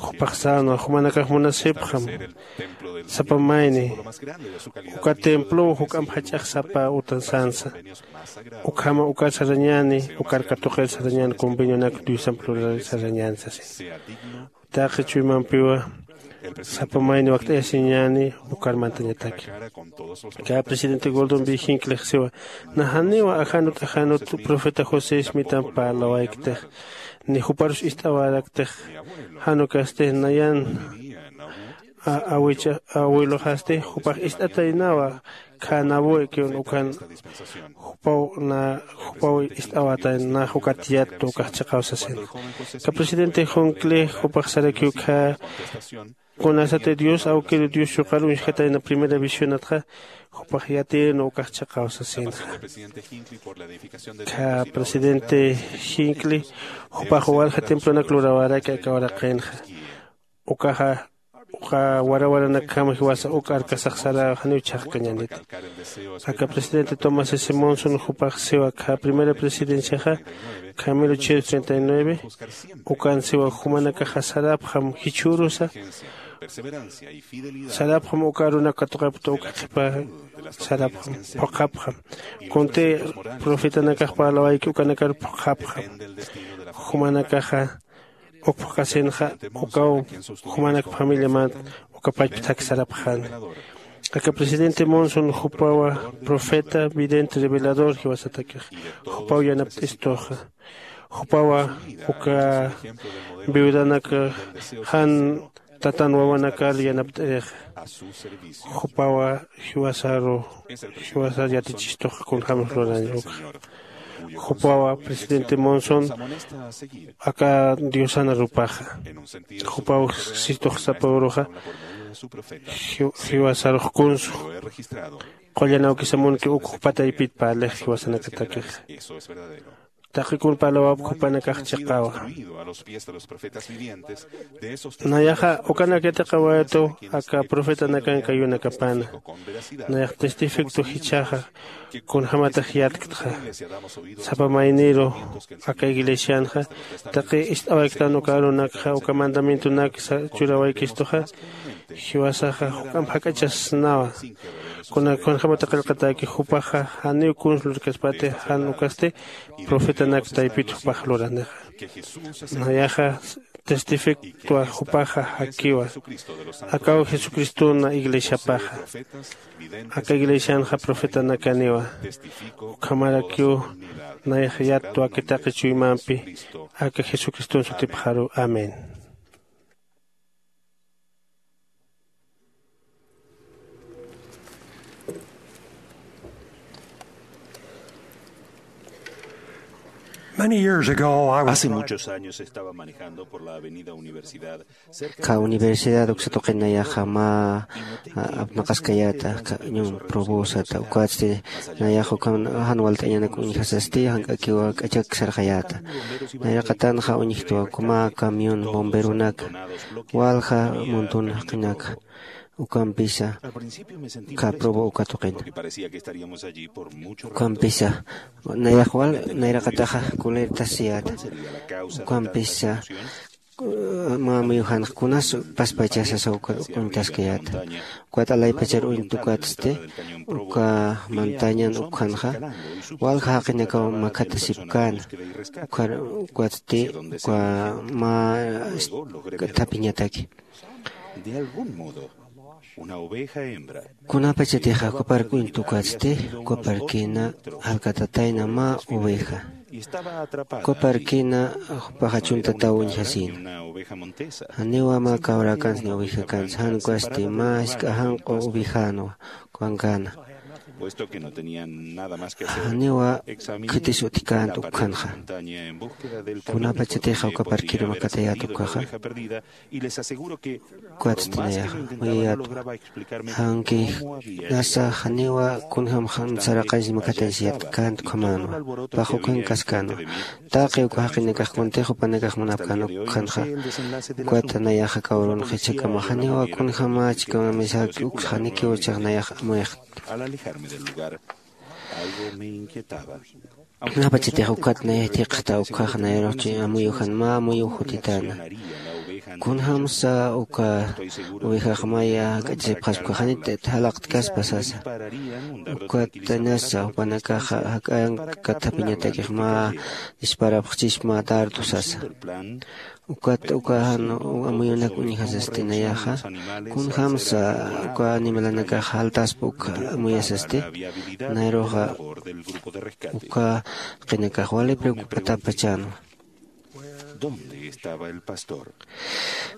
Jupax sänwa, jumanakax munasipxam sapa mayni uka templow juk'amp jach'ax sapa utan sänsa. Ukhama ukar sarañäni, ukar katuqir sarañäni convenionak Diosamp lurar sarañäni sasin. Taqi chuymampiwa sapa mayni wakt'ayasiñäni ukar mantañataki. Kä presidente Gordon B. Hinckley siwa, na janiwa ajanut ajanut profeta José Smithamp parlawayktix, ni juparus ist'awaraktix, jan ukasti nayan awiluxasti jupax ist'ataynawa, kha nabuekiwn ukan jupaw na jupaw ist'awatayna, nax ukat yattu ukax chiqaw sasin. Kä presidente Hinckley jupax sarakiw kha kunasati Dios awkiru Dios chuqar uñjkatayna primera visionatxa, jupax yatiyna ukax chiqaw sasinxa. Kä presidente Hinckley jupax walja templonak lurawäraki aka uraqinxa. Ukaxa uka warawaranakjama jiwasa uk arkasax saraw, janiw chhaqkañäniti. Aka presidente Thomas S. Monson jupax siwa, kha primera presidenciaxa kha mil ochocientos treinta y nueve, ukan siwa jumanakaxa sarapxam jichhürusa, sarapxam uka arunak katuqapkta uka qhipa, sarapxam, phuqhapxam. Kunti profetanakax parlawayki ukanakar phuqhapxam. Jumanakaxa uk phuqhasinxa, ukaw jumanak familiamant uka pachpthak sarapxäna. Aka presidente Monson jupawa profeta, vidente, revelador jiwasatakix. Jupaw yanapt'istuxa. Jupawa uka viudanak jan tatan wawanakar yanapt'irixa. Jupawa jiwasaru jiwasar yatichistuxa kunjämsa lurañ ukxa. Jupawa presidente Monson aka diosan arupaxa. Jupaw sistux sapa uruxa jiwasarux kunsu. Qullan awkisa munki uk jupa taypit parlix jiwasanakatakixa. taqi kun parlawapk jupanakax chiqawa. Nayaxa ukanak yatiqawayatu aka profetanakan kayunakapana. Nayax testificto jichhaxa kunjämatax yatktxa. Sapa mayniru aka iglesianxa taqi ist'awayktan uka arunakxa uka mandamientonak churawaykistuxa, jiwasaxa juk'amp jak'achasnawa. Kunak kunjämata qillqatäki jupaxa janiw kuns lurkaspati jan ukasti profetanak taypit jupax luranixa. Nayaxa testifictwa jupaxa jakiwa. Akaw jesucristona iglesiapaxa. Aka iglesianxa profetanakaniwa. Ukhamarakiw nayax yattwa aka taqi chuymampi aka jesucriston sutipxaru. Amén. Many years ago, I was Hace muchos años estaba manejando por la avenida Universidad, cerca de la universidad uksatuqinayaxa mä apnaqaskayäta ñum probosata ukatsti nayaxa ukan jan walt'añanak uñjasasti jank'akiwa k'achak sarxayäta. Nayraqatanxa uñjtwa uka mä camión bomberonaka walja montón jaqinaka ukampisa. Uka probo uka tuqina ukampisa nayaxwal nayraqataxa kulertasiyäta. Ukampisa mä amuyujanxa kunas paspachasasa uka uñtaskayäta. Ukat alaypachar uñtukatsti uka mantañan ukjanxa walja jaqinakaw makhatasipkäna. Ukar ukatsti uka mä thapiñataki. Kunapachatixa uka park uñtukatsti uka parkina jalkatatayna mä oveja. Uka parkina jupaxa chuntataw uñjasïna. Janiwa mä kawrakansa ni ovejakansa jan ukasti mä jisk'a janq'u ovejänwa ukankana. Janiwa khitis utjkänta ukjanxa. Kunapachatixa uka parkiru makatayät ukjaxa ukatsti nayaxa muyayätwa. Aunque nasa janiwa kunjämxa saraqañsa makataysiyät känta ukhamänwa. Pax ukankaskäna taqi uka jaqinakax kuntix jupanakax munapkän ukjanxa. Ukat nayaxa kawrunxa jichhakama janiwa kunjämächi kamamisaki uksa janikiw chax nayax amuyxt. Kunapachatix ukat nayay thiqxta ukhax nayarux chay amuyujan mä amuyux jutitäna. Kunjämsa uka ovejax maya jak'achasipxaspa janit jalaqtkaspa sasa. Ukat nasa jupanakaxa jak'anka thapiñatakix mä disparapxchispa mä dardo sasa. Ukat uka jan amuyunak uñjasasti nayaxa kunjämsa uka animalanakax jaltaspa uka amuyasasti. Nayruxa uka jaqinakax wali preocupatapachänwa.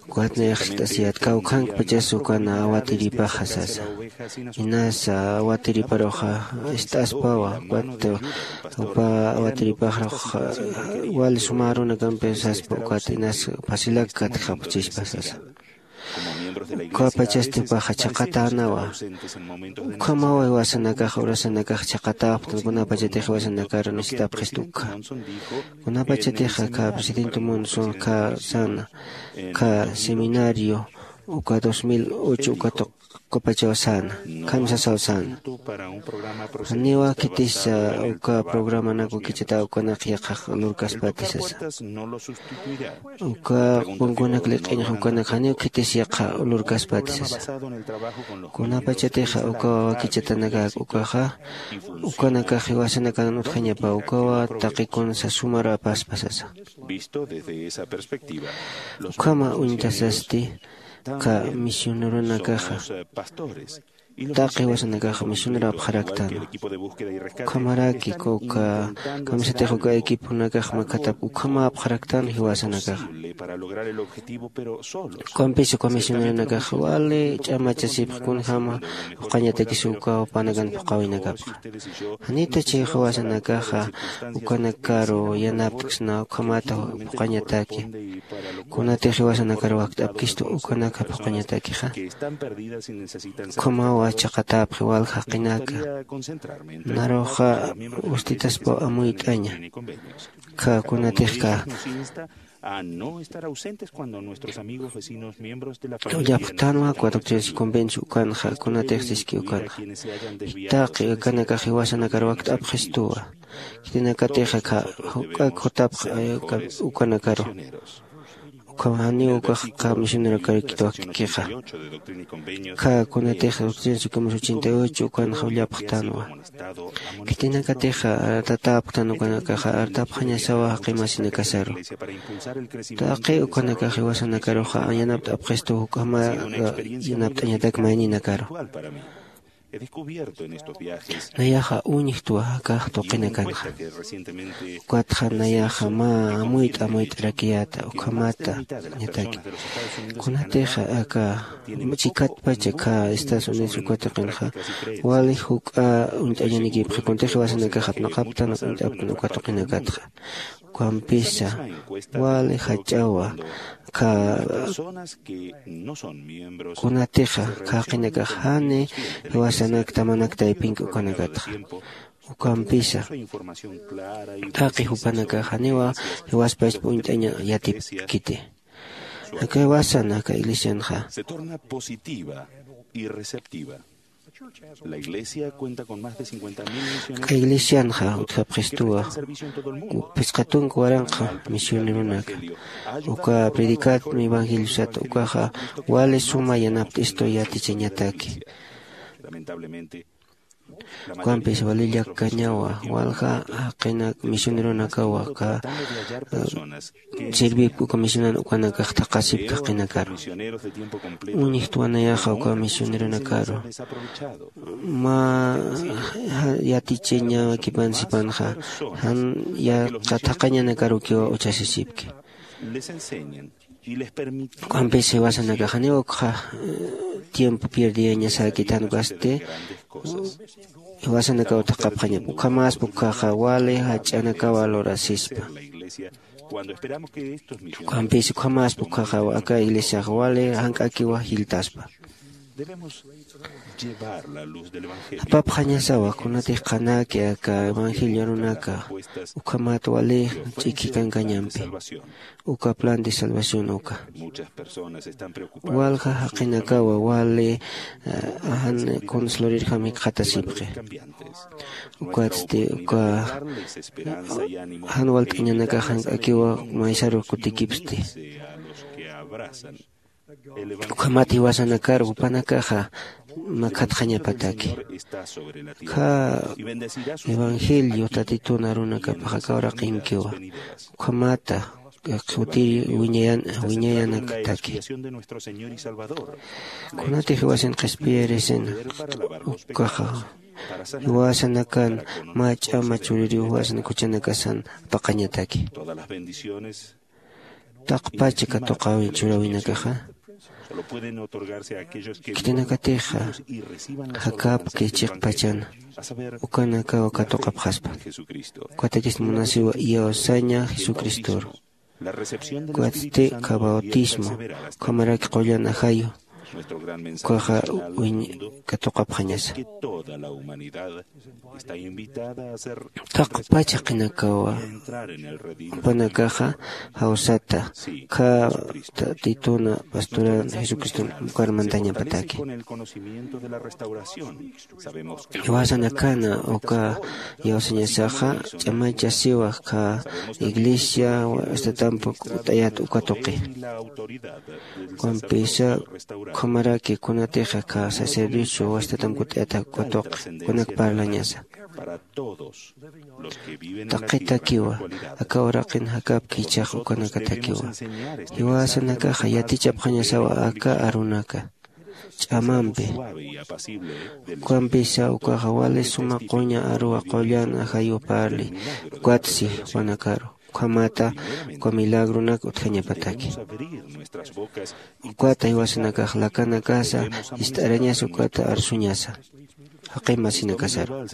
Ukat nayax ist'asiyät kawkhankpachas ukan awatiripaxa sasa. Inasa awatiriparuxa ist'aspawa ukat upa awatiripaxrux wali suma arunakampi saspa ukat inas facilak katjapxchispa sasa. Ukapachasti jupaxa chhaqatänawa. Ukhamawa jiwasanakax urasanakax chhaqatäpxtan kunapachatix jiwasanakar necesitapxista ukha. Kunapachatix akha presidente monson akha säna akha seminario uka dos mil ocho uka tuq ukapachaw säna. Kamsasaw säna. Janiwa khitisa uka programanak wakichata ukanak yaqhax lurkaspati sasa. Uka qunkunak liq'iñxa ukanak janiw khitis yaqha lurkaspati sasa. Kunapachatixa uka wakichatanakak ukaxa ukanakax jiwasanakan utjañapa ukawa taqi kunsa sumar apaspa sasa. Ukhama uñtasasti uka misioneronakaxa taqi jiwasanakaxa misionerapxaraktan. Ukhamaraki uka kamisatix uka equiponakax makhatap ukhamäpxaraktan jiwasanakaxa. Ukampis uka misioneronakax wali ch'amachasipx kunjäma phuqhañatakis uka jupanakan phuqhawinakapxa. Janita chay jiwasanakaxa ukanakaru yanaptksna ukhamata phuqhañataki. Kunatix jiwasanakar wakt'apkistu ukanaka phuqañatakixa. Ukhamawa chaqatäpxi walja jaqinaka. Naruxa ustitaspaw amuyt'aña. Kha kunatixka a no estar ausentes cuando nuestros amigos, vecinos, miembros de la familia. Ullapxtanwa cuatro tres convencio ukanxa kunatix siski ukanxa. Taqi akanakax jiwasanakar wakt'apxistuwa. Khitinakatixa kha juk'ak jutapx ukanakaru. Ukham janiw ukax kha misionerokarkit wakt'kixa. Kha kunatix doctrina y convenios ochenta y ocho ukanxa ullapxtanwa. Khitinakatixa artatäpxtan ukanakaxa artapxañasawa jaqi masinakasaru. Taqi ukanakax jiwasanakaruxa yanapt'apxistu juk'ama yanapt'añatak mayninakaru. Nayaxa uñjtwa akax tuqinakanxa. Ukatxa nayaxa mä amuyt'a amuyt'arakiyäta ukhamata ñataki. Kunatixa aka chikatpacha kha Estados Unidos uka tuqinxa wali juk'a uñt'añanikipxi kuntix jiwasanakax apnaqaptan uñt'aptan uka tuqinakatxa. Ukampisa wali jach'awa kha kunatixa kha jaqinakax jani jiwasanak tamanak taypinki ukanakatxa. Ukampisa taqi jupanakax janiwa jiwaspachpa uñt'aña yatipkiti. Aka jiwasan aka iglesianxa. Se torna positiva y receptiva. La iglesia cuenta con más de cincuenta mil misioneros. Aka iglesianxa utjapxistuwa phisqa tunka waranqa misioneronaka. Uka predicatmi evangeliosata ukaxa wali suma yanapt'istu yatichañataki. Lamentablemente, ukampis wali llakkañawa walja jaqina misioneronakawa aka sirvipki uka misionan ukanakax thaqhasipki jaqinakaru. Uñjtwa nayaxa uka misioneronakaru mä yatichañakipan sipanxa jan yaqha thaqhañanakarukiwa uchasisipki. Ukampis jiwasanakax janiw ukxa tiempo pierdiyañasäkitan ukasti jiwasanakaw thaqhapxañap ukhamäspa ukkhaxa wali jach'anakawa lurasispa. Ukampis ukhamäspa ukkhaxa aka iglesiax wali jank'akiwa jilltaspa. Apapxañasawa kunatix qhanaki aka evangelio arunaka ukhamat wali ch'ikhikankañampi uka plan de salvación uka. Walja jaqinakawa wali jan kuns lurirjam jikxatasipxi. Ukatsti uka jan walt'añanakax jank'akiwa maysaru kutikipsti. Ukhamat jiwasanakar jupanakaxa makhatxañapataki. Kha evangelio tatitun arunakapax aka uraqinkiwa. Ukhamata jutiri wiñayanakataki. Kunatix jiwasin qhispiyirisin ukaxa jiwasanakan mä ch'ama chuririw jiwasanak juchanakasan apaqañataki. Taqpacha katuqäwin churäwinakaxa khitinakatixa jakapki chiqpachana ukanakaw katuqapxaspa. Ukatakis munasiwa iyawsaña jesucristoru. Ukatsti kha bautismo ukhamaraki qullan ajayu ukaxa katuqapxañasa. Taqpach jaqinakawa jupanakaxa jawsata kha tatituna pastoran jesucriston ukar mantañapataki. Jiwasanakana uka iyawsañasaxa ch'amachasiwa kha iglesia wastatampu k'ut'ayat uka tuqi. Ukampisa ukhamaraki kunatixa kha sacerdocio wastatampu k'ut'ayat uka tuqi kunak parlañasa. Taqitakiwa aka uraqin jakapki ichax ukanakatakiwa. Jiwasanakaxa yatichapxañasawa aka arunaka ch'amampi. Ukampisa ukaxa wali suma quña aruwa qullan ajayu parli ukatsi jupanakaru ukhamata uka milagronak utjañapataki. Ukata jiwasanakax lakanakasa ist'arañasa ukata arsuñasa. Jaqi masinakasaru,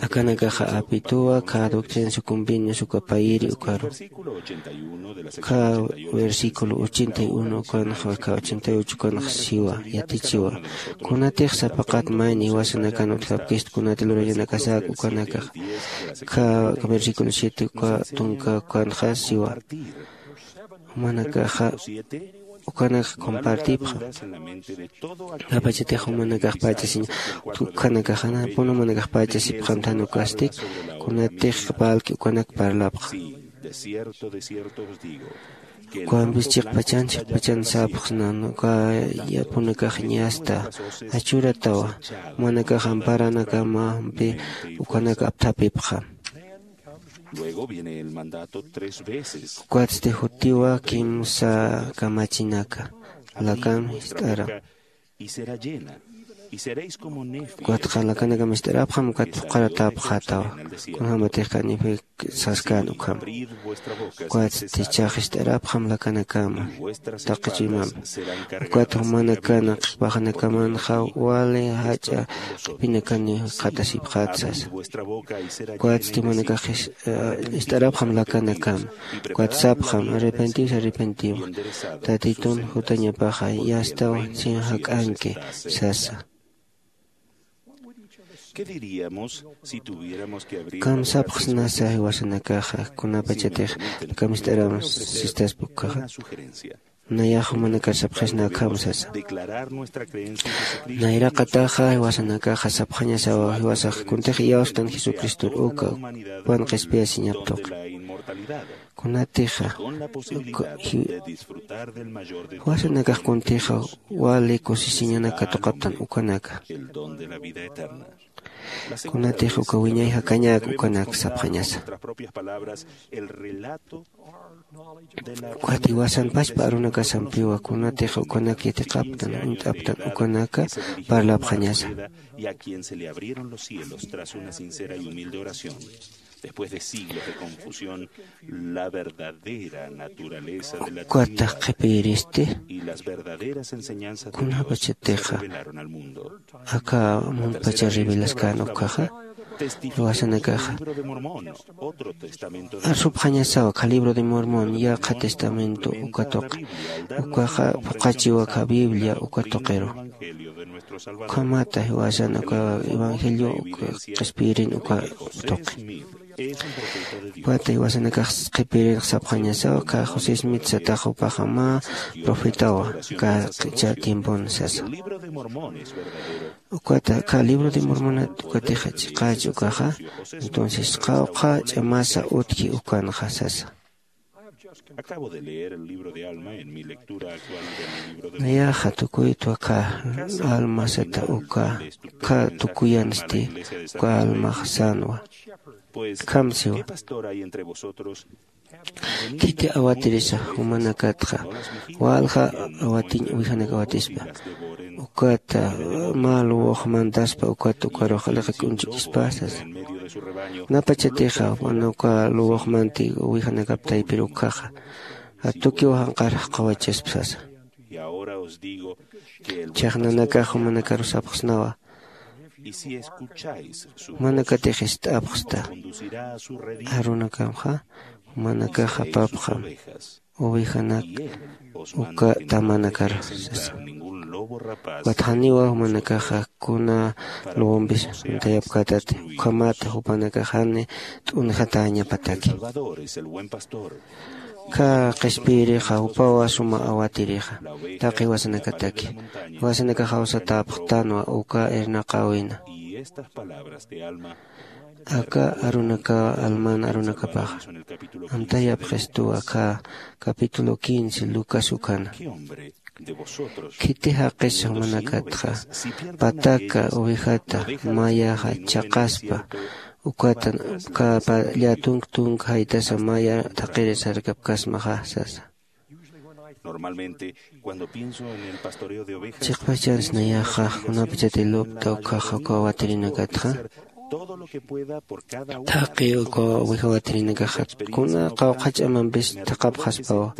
akanakaxa apituwa kha doctrinas y convenios uka payiri ukaru. Kha versículo ochenta y uno ukanxa kha ochenta y ocho ukanxa siwa yatichiwa, kunatix sapaqat mayni jiwasanakan utjapkist kunati lurañanakasak ukanakax. Kha versículo siete uka tunka ukanxa siwa, jumanakaxa ukanakax compartipxam. Apachatix jumanakax pachasiña, ukhanakaxana pun jumanakax pachasipxamtan ukastik, kunatix valki ukanak parlapxa. Ukampis chiqpachan chiqpachan sapxsnan uka yapunakax ñasta achuratawa, jumanakax amparanakamampi ukanak apthapipxam. Ukatsti jutiwa kimsa kamachinaka, lakam jist'aram. Ukatxa lakanakam jist'arapxam ukat phuqharatapxätawa, kunjämatix kanifi saskän ukham. Ukatsti chax jist'arapxam lakanakama taqi chuymampi. Ukat jumanakana qhipaxanakamanxa wali jach'a qhipinakaniw qhatasipxät sasa. Ukatsti jumanakax jist'arapxam lakanakama. Ukat sapxam arrepentiw arrepentiw, tatitun jutañapaxa yastaw sin jak'anki sasa. Kamsapxsnasa jiwasanakaxa kunapachatix kamist'aram sistaspa ukkaxa? Nayax jumanakar sapxisna akham sasa. Nayraqataxa jiwasanakaxa sapxañasawa jiwasax kuntix iyawstan jesucristor uka jupan qhispiyasiñap tuqi. Kunatixa jiwasanakax kuntixa wali kusisiñanak katuqaptan ukanaka. Kunatix uka wiñay jakañak ukanak sapxañasa. Ukat jiwasan pachpa arunakasampiwa kunatix ukanak yatiqaptan uñt'aptan ukanaka parlapxañasa. Y a quien se le abrieron los cielos tras una sincera y humilde oración, después de siglos de confusión, la verdadera naturaleza de la Ukata Trinidad qhipiristi y las verdaderas enseñanzas de Dios se kunapachatixa revelaron al mundo. Aka muntpacha revelaskan ukhaxa, jiwasanakaxa. Libro de Mormón, otro testamento de arsupxañasawa kha libro de Mormón, yaqha testamento uka tuqi. Ukaxa phuqhachiwa kha Biblia uka tuqiru. Ukhamata jiwasan uka evangelio uka qhispiyirin uka tuqi. Ukata jiwasanakax qhipiyirinx sapxañasawa, kha José Smith satax jupaxa mä profetawa, kha q'ichha tiempon sasa. Ukata kha libro de Mormonat ukatixa chiqach ukaxa, entonces qawqha ch'amasa utji ukanxa sasa. Acabo de leer el libro de Alma en mi lectura actual del libro de Nayaxa tukuytwa kha Alma sata uka, kha tukuyansti uka Almax sänwa. Pues, ¿qué pastor hay entre vosotros? Khiti awatirisa jumanakatxa, walja awatiñ uwijanak awatispa. Ukata mä luwux mantaspa, ukat ukarux aliqi k'unchukispa sasa. Napachatixa, wana uka luwux manti uwijanakap taypir ukhaxa, atukiw janqar jaqawachaspa sasa. Chhaxnanakax jumanakaru sapxsnawa. Jumanakatix ist'apxsta. Arunakamxa jumanakax apapxam uwijanak uka tamanakar sasa. Ukat janiwa jumanakaxa kuna luwumpis uñtayapkätati, ukhamata jupanakax jani t'unjatäñapataki. Kha qhispiyirixa jupawa suma awatirixa, taqi jiwasanakataki. Jiwasanakax jawsatäpxtänwa uka irnaqäwina. Aka arunakawa Alman arunakapaxa amtayapxistuwa kha capítulo quince Lucas ukhana. Khiti jaqis jumanakatxa, pataka uwijata mayaxa chhaqaspa, ukatan kapa llatunk tunk jaytasa maya thaqirisarkapkasmaxa sasa. Chiqpachans nayaxa kunapachati lupta ukhaxa uka awatirinakatxa, Thaqi uka oveja watirinakaxa kuna qawqha ch'amampis thaqapxaspawa.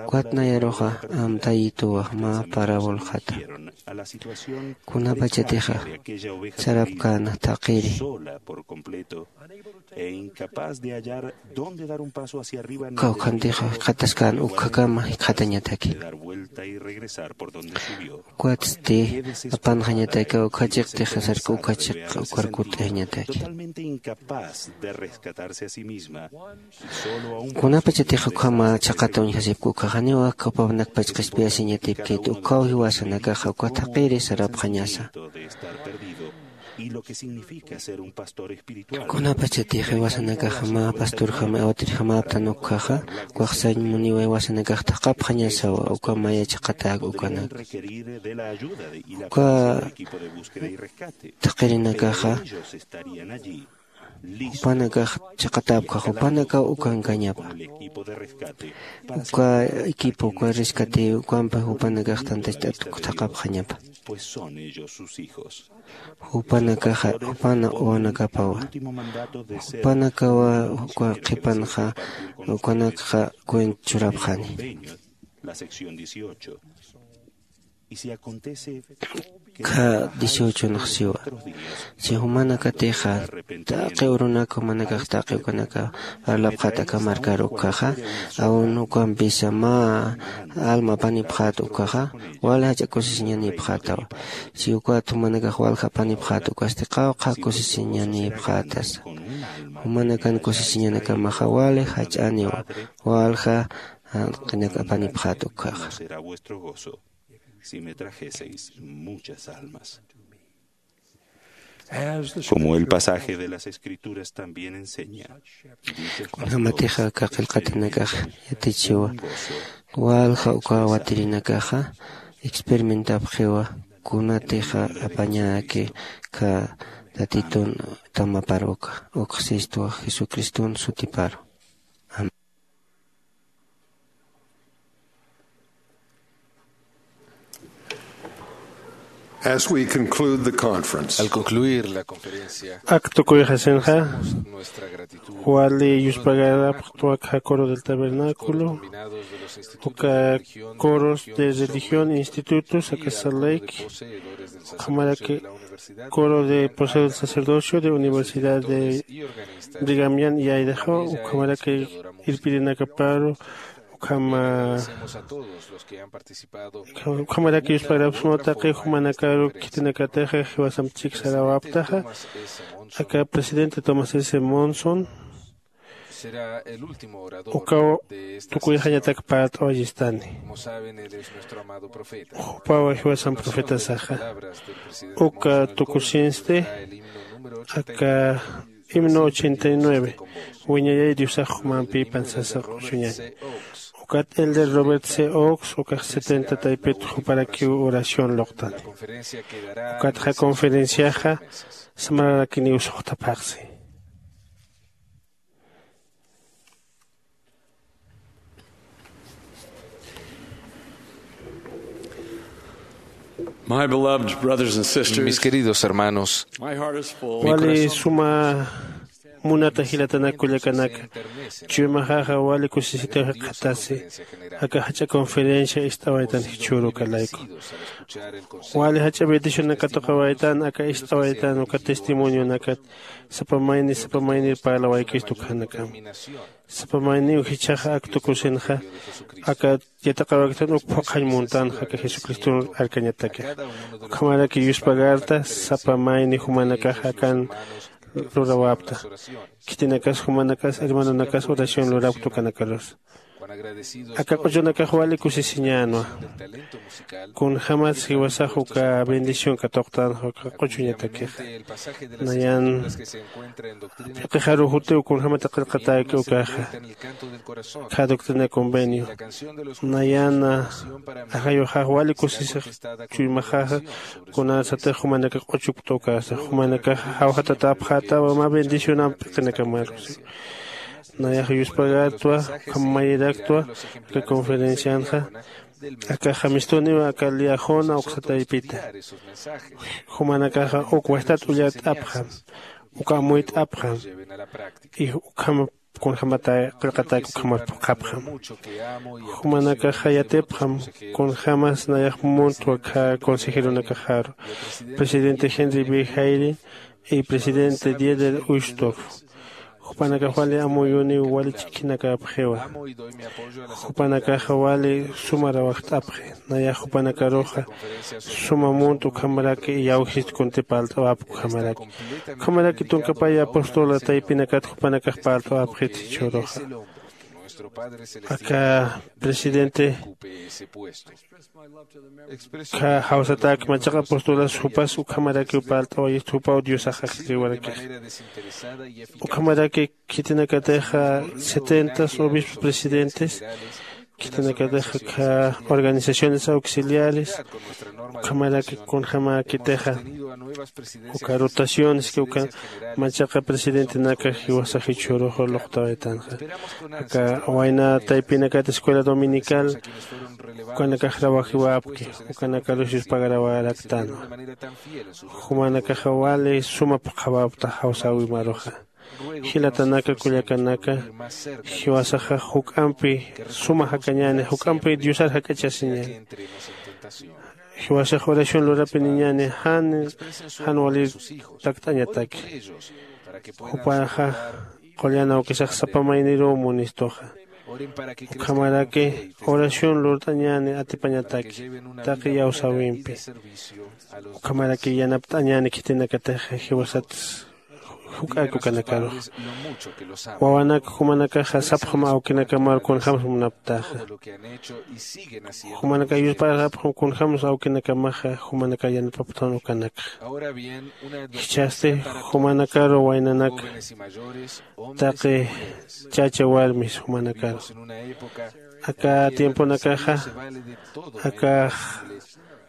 Ukat nayaruxa amtayituwa mä parabolxata. Kunapachatixa sarapkäna thaqiri, kawkhantixa jikxataskän ukkhakama jikxatañataki. Ukatsti apanxañataki ukkhachiqtixa sarki ukkhachik ukar kut'añataki. Kunapachatix ukhama chhaqata uñjasipki ukhaxa janiw aka jupanak pachqaspiyasiñatipkit ukkhaw jiwasanakaxa uka thaqiri sarapxañasa. Kunapachatix jiwasanakaxa mä pasturjama awatirjamäptan ukkhaxa ukax sañ muniwa jiwasanakax thaqapxañasawa uka maya chhaqatäk ukanak. Uka thaqirinakaxa jupanakax chhaqatäpkxa jupanakaw ukankañapa. Uka equipo uka rescate ukampi jupanakax tantacht'at thaqapxañapa. Jupanakaxa jupana wawanakapawa. Jupanakawa uka qhipanxa ukanakxa cuent churapxani. Kha dieciocho nxsiwa. Si jumanakatixa taqi urunak jumanakax taqi ukanaka parlapxat aka markar ukkhaxa, aun ukampisa mä alma apanipxat ukkhaxa wali jach'a kusisiñanipxatawa. Si ukat jumanakax walja apanipxat ukasti qawqha kusisiñanipxatasa. Jumanakan kusisiñanakamaxa wali jach'aniwa walja janq'inak apanipxat ukkhaxa. Si me trajeseis muchas almas. Como el pasaje de las Escrituras también enseña, kunjamatixa aka qillqatinakax yatichiwa walja uka watirinakaxa experimentapxiwa kunatixa apañäki kha tatitun tamapar uka ukxsistwa jesucriston sutiparu. As we conclude the conference, al concluir la conferencia, ak tukuyxasinxa nuestra gratitud wali yuspagarapxtwa aka coro del tabernáculo, uka coros de religión, institutos aka Salt Lake, ukhamaraki coro de poseo del sacerdocio de universidad de Brigham Young y Idaho, ukhamaraki irpirinakaparu ukhama ukhamaraki yuspagarapxsma taqi jumanakaru khitinakatixa jiwasamp chiksarawaptaxa aka presidente Thomas S Monson. Ukaw tukuyxañatak parlt'awayistani. Jupawa jiwasan profetasaxa uka tukusinsti aka himno ochenta y nueve, wiñayay diosax jumampipan sasa q'uchuñan. Ukat elder Robert C Oaks ukax setenta taypit juparakiw oración luqtani. Ukatxa conferenciaxa samararakiniw suxtaphaxsi. My beloved brothers and sisters, mis queridos hermanos, my heart is full. Wali suma munata jilatanakullakanaka chuymaxaxa wali kusisitaw jikxatasi aka jach'a conferencia ist'awaytan jichhürukalayku. Wali jach'a bendicionakatuqawaytan aka ist'awaytan uka testimonionakat sapa mayni sapa maynir parlawaykistu ukhanakam. Sapa mayniw jichhaxa ak tukusinxa aka yatiqawaktan uk phuqhañ muntanxa aka jesucriston arkañatakix. Ukhamaraki yuspagarta sapa mayni jumanakax akan lurawapta. Khitinakas jumanakas hermanonakas oración lurapkta ukanakarus. Aka q'uchunakax wali kusisiñänwa. Kunjämas jiwasax uka bendición katuqtänxa uka q'uchuñatakixa. Nayan p'iqixaru jutiw kunjämati qillqatäki ukaxa. Kha doctrina convenio nayan ajayuxax wali kusisix chuymaxaxa. Kunasatix jumanakax q'uchupkta ukasa jumanakaxa jawjatatapxätawa mä bendicionamp p'iqinakamarusi. Nayax yuspagartwa ukham mayiraktwa aka conferencianxa. Aka jamistuniw aka liajona uksa taypita. Jumanakaxa uk wajtat ullart'apxam. uka amuyt'apxam. Y ukham kunjämatay qillqatak ukhamat phuqhapxam. Jumanakaxa yatipxam kunjämas nayax muntwa khä consejeronakaxaru, presidente Henry B Hayden y presidente Dieter Uchtdorf. Jupanakax wali amuyuniw wali ch'ikhinakäpxiwa. Jupanakaxa wali suma rawajt'apxi. Nayax jupanakaruxa suma munt ukhamaraki iyawjist kunti parlt'awapki ukhamaraki. Ukhamaraki tunkapaya apóstola taypinakat jupanakax parlt'awapxit jichhüruxa. Aka presidente khä jawsatak machaqa apostolas jupas ukhamarakiw parlt'awayist jupaw diosax ajlliriwarakix. Ukhamaraki khitinakatixa setentas obispo presidentes, khitinakatixa khä organizaciones auxiliares, ukhamaraki kunjämäkitixa uka rotaciones que uka machaqa presidentenaka jiwasax jichhürux luqtawaytanxa. Aka wayna taypinakat escuela dominical ukanakax rawajiwapki. Ukanakarusis pagarawaraktanwa. Jumanakaxa wali suma phuqhawapta jawsäwimaruxa. Jilatanaka kullakanaka, jiwasaxa juk'ampi suma jakañäni, juk'ampi diosar jak'achasiñäni. Jiwasax oración lurapiniñäni jan jan walir takt'añataki. Jupaxa qullan awkisax sapa mayniruw munistuxa. Ukhamaraki oración lurt'añäni atipañataki taqi iyawsäwimpi. Ukhamaraki yanapt'añäni khitinakatixa jiwasat juk'ak ukanakarux. Wawanak jumanakaxa sapxam awkinakamar kunjämsa munapktaxa. Jumanakax yusparxapxam kunjämsa awkinakamaxa jumanakax yanapapxtan ukanakxa. Jichhasti jumanakaru waynanaka, taqi chacha warmis jumanakaru, aka tiemponakaxa akax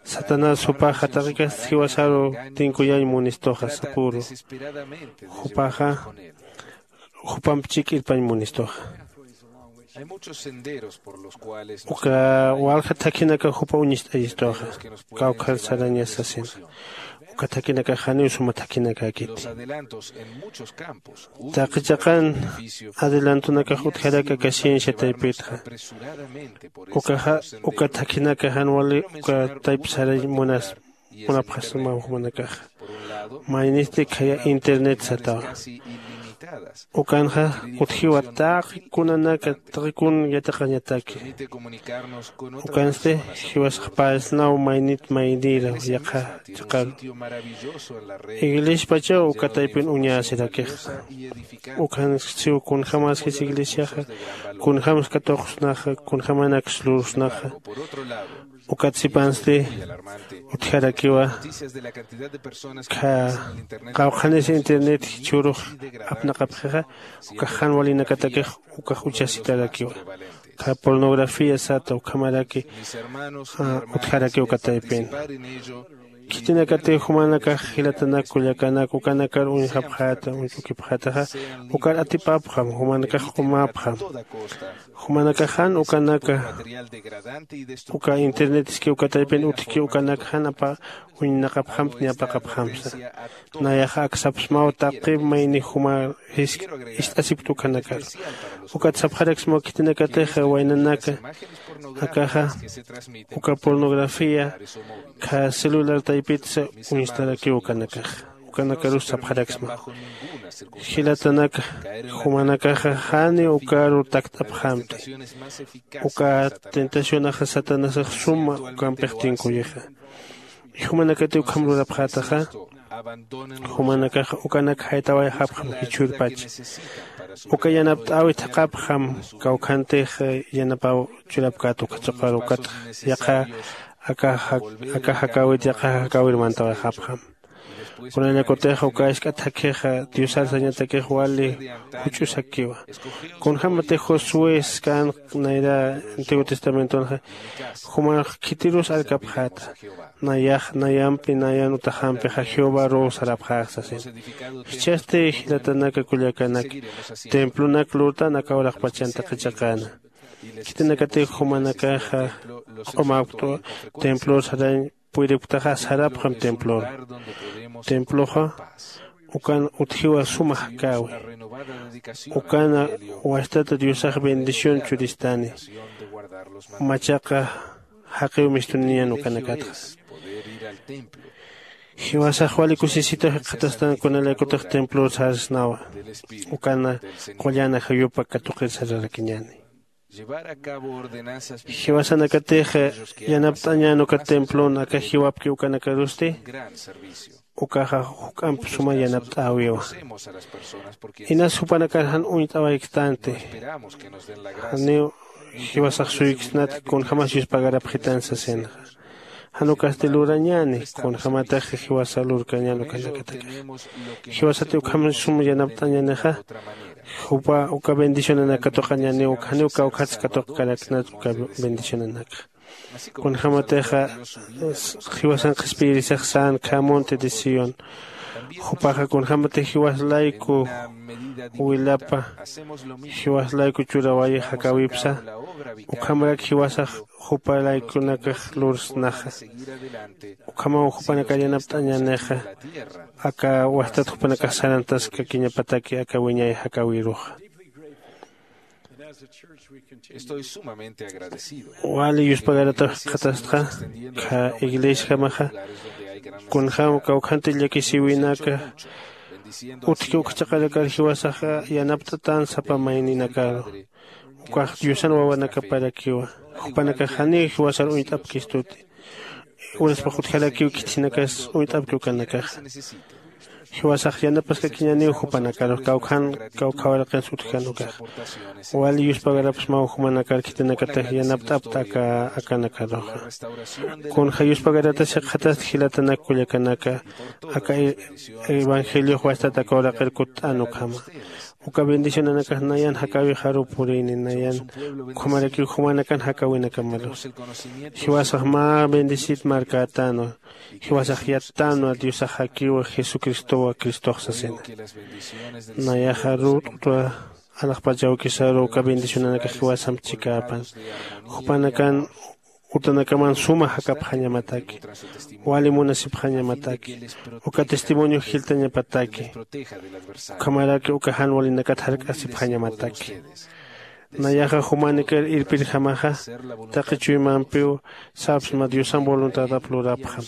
satanás jupaxa taqi kasti jiwasaru tinkuyañ munistuxa sapüru. Jupaxa jupamp chik'irpañ munistuxa. Uka walja thakhinaka jupa uñist'ayistuxa. Kawkhar sarañas sasinxa. Uka thakhinakax janiw suma thakhinakäkiti. Taqi chiqan adelantonakax utjaraki aka ciencia taypitxa. Ukaxa uka thakhinaka jan wali uka tayp sarañ munas munapxasmaw jumanakaxa. Maynisti khaya internet satawa. Ukanxa utjiwa taqi kunanaka taqi kun yatiqañataki. Ukansti jiwasax parsnaw maynit maynïra yaqha chiqaru. Iglespachaw uka taypin uñäsirakixa. Ukansiw kunjämas jis iglesiaxa kunjämsa katuqsnaxa kunjämanaks lursnaxa. Ukat sipansti utjarakiwa. Qawqhanis internet jichhürux apnaqapxixa ukax jan walinakatakix ukax uchasitarakiwa. Kha pornografía sata ukhamaraki utjaraki uka taypin. Khitinakatiw jumanakax jilatanak kullakanak ukanakar uñjapxäta uñch'ukipxätaxa. Ukar atipapxam jumanakax q'umapxam. Jumanakaxan ukanaka uka internet iski uka taypin utjki ukanakaxan apa uñnaqapxampt ni apaqapxamsa. Nayaxa aksapsmaw taqi mayni juma jisk ist'asipkt ukanakar. Ukat sapxaraksmaw khitinakatixa waynanaka akaxa uka pornografía kha celular taypitsa uñstarakiw ukanakaxa. Ukanakarus sapxaraksma. Jilatanaka jumanakaxa jani ukaru takt'apxamti. Uka tentacionaxa satanasax suma ukampix tinkuyixa. Jumanakati ukham lurapxätaxa jumanakaxa ukanak jaytawayxapxam jichhürpacha. Uka yanapt'äwi thaqhapxam kawkhantix yanapaw churapkät uka chiqar ukat yaqha aka jakäwit yaqha jakäwir mantawayxapxam. Kunallakutixa uka isk'a thakhixa diosar sañatakix wali juch'usakiwa. Kunjämatix josué skanx nayra antiguo testamentonxa jumax khitirus arkapxäta. Nayax nayampi nayan utaxampixa jehovaruw sarapxäx sasin. Jichhasti jilatanaka kullakanaki templonak lurtan aka uraqpachan taqi chiqäna. Khitinakatix jumanakaxa q'umapktwa templor sarañ puyripktaxa sarapxam templor. Temploxa Ukan utjiwa suma jakawi. Ukana wastata diosax bendición churistani. Machaqa jaqiw mistuniñan ukanakatxa. Jiwasax wali kusisita jikxatastan kunalaykutix templor sarsnawa. Ukana qullana jayupa katuqir sararakiñani. Jiwasanakatix yanapt'añän uka templon aka jiwapki ukanakarusti. Ukaxa juk'amp suma yanapt'äwiwa. Inas jupanakar jan uñt'awayktanti. Janiw jiwasax suyksnat kunjämas yuspagarapxitan sasinxa. Jan ukasti lurañäni kunjämatix jiwasa lurkañän ukanakataki. Jiwasati ukham sum yanapt'añänixa. Jupa uka bendicionanak katuqañäniw janiw kawkhats katuqkaraknat uka bendicionanakxa. Kunjämatixa jiwasan qhispiyirisax sän khä monte de sión. Jupaxa kunjämatix jiwas layku wilapa jiwas layku churawayix jakäwipsa. Ukhamarak jiwasax jupa laykunakax lursnaxa. Ukhamaw jupanakar yanapt'añänixa. Aka wastat jupanakax sarantaskakiñapataki aka wiñay jakäwiruxa. Wali yuspagarataw jikxatastxa khä iglesiajamaxa. Kunjäm kawkhanti llakisïwinaka utjki uk chaqarakar jiwasaxa yanapt'atän sapa mayninakaru. Ukax diosan wawanakaparakiwa. Jupanakax janiw jiwasar uñt'apkistuti. Uraspax utjarakiw khitinakas uñt'apki ukanakaxa. Jiwasax yanapaskakiñäniw jupanakarux kawkhan kawkhawaraqins utjkan ukaxa. Wali yuspagarapxsmaw jumanakar khitinakatix yanapt'apta aka akanakaruxa. Kunja yuspagaratasi jikxatasti jilatanak kullakanaka aka evangeliox wastat aka uraqir kutt'an ukhama. Uka bendicionanakax nayan jakäwixaruw purïni nayan ukhamarakiw jumanakan jakäwinakamarus. Jiwasax mä bendecit markätänwa. Jiwasax yattänwa diosax jakiwa jesucristowa cristox sasina. Nayaxa rut'utwa alaxpach awkisaru uka bendicionanakax jiwasamp chikäpan. Jupanakan utanakaman suma jakapxañamataki. Wali munasipxañamataki. Uka testimonio jiltañapataki. Ukhamaraki uka jan walinakat jark'asipxañamataki. Nayaxa jumanakar irpirjamaxa taqi chuymampiw sapsma diosan voluntadap lurapxam.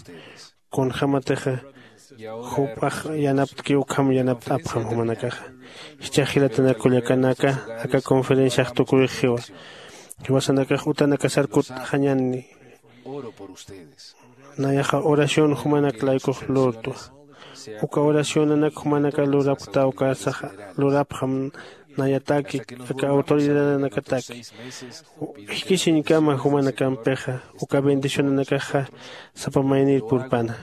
Kunjämatixa jupax yanaptki ukham yanapt'apxam jumanakaxa. Jichhax jilatanak kullakanaka aka conferenciax tukurixiwa. Jiwasanakax utanakasar kutt'axañäni. Nayaxa oración jumanak laykux lurtwa. Uka oracionanak jumanakar lurapkta ukarsaxa lurapxam. Nayataki aka autoridadanakataki jikisiñkama jumanakampixa uka bendicionanakaxa sapa maynir purpana.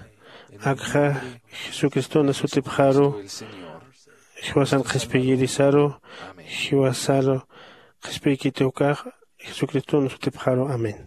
Akxa jesucristona sutipxaru jiwasan qhispiyirisaru jiwasaru qhispiykiti ukax jesucristona sutipxaru amén.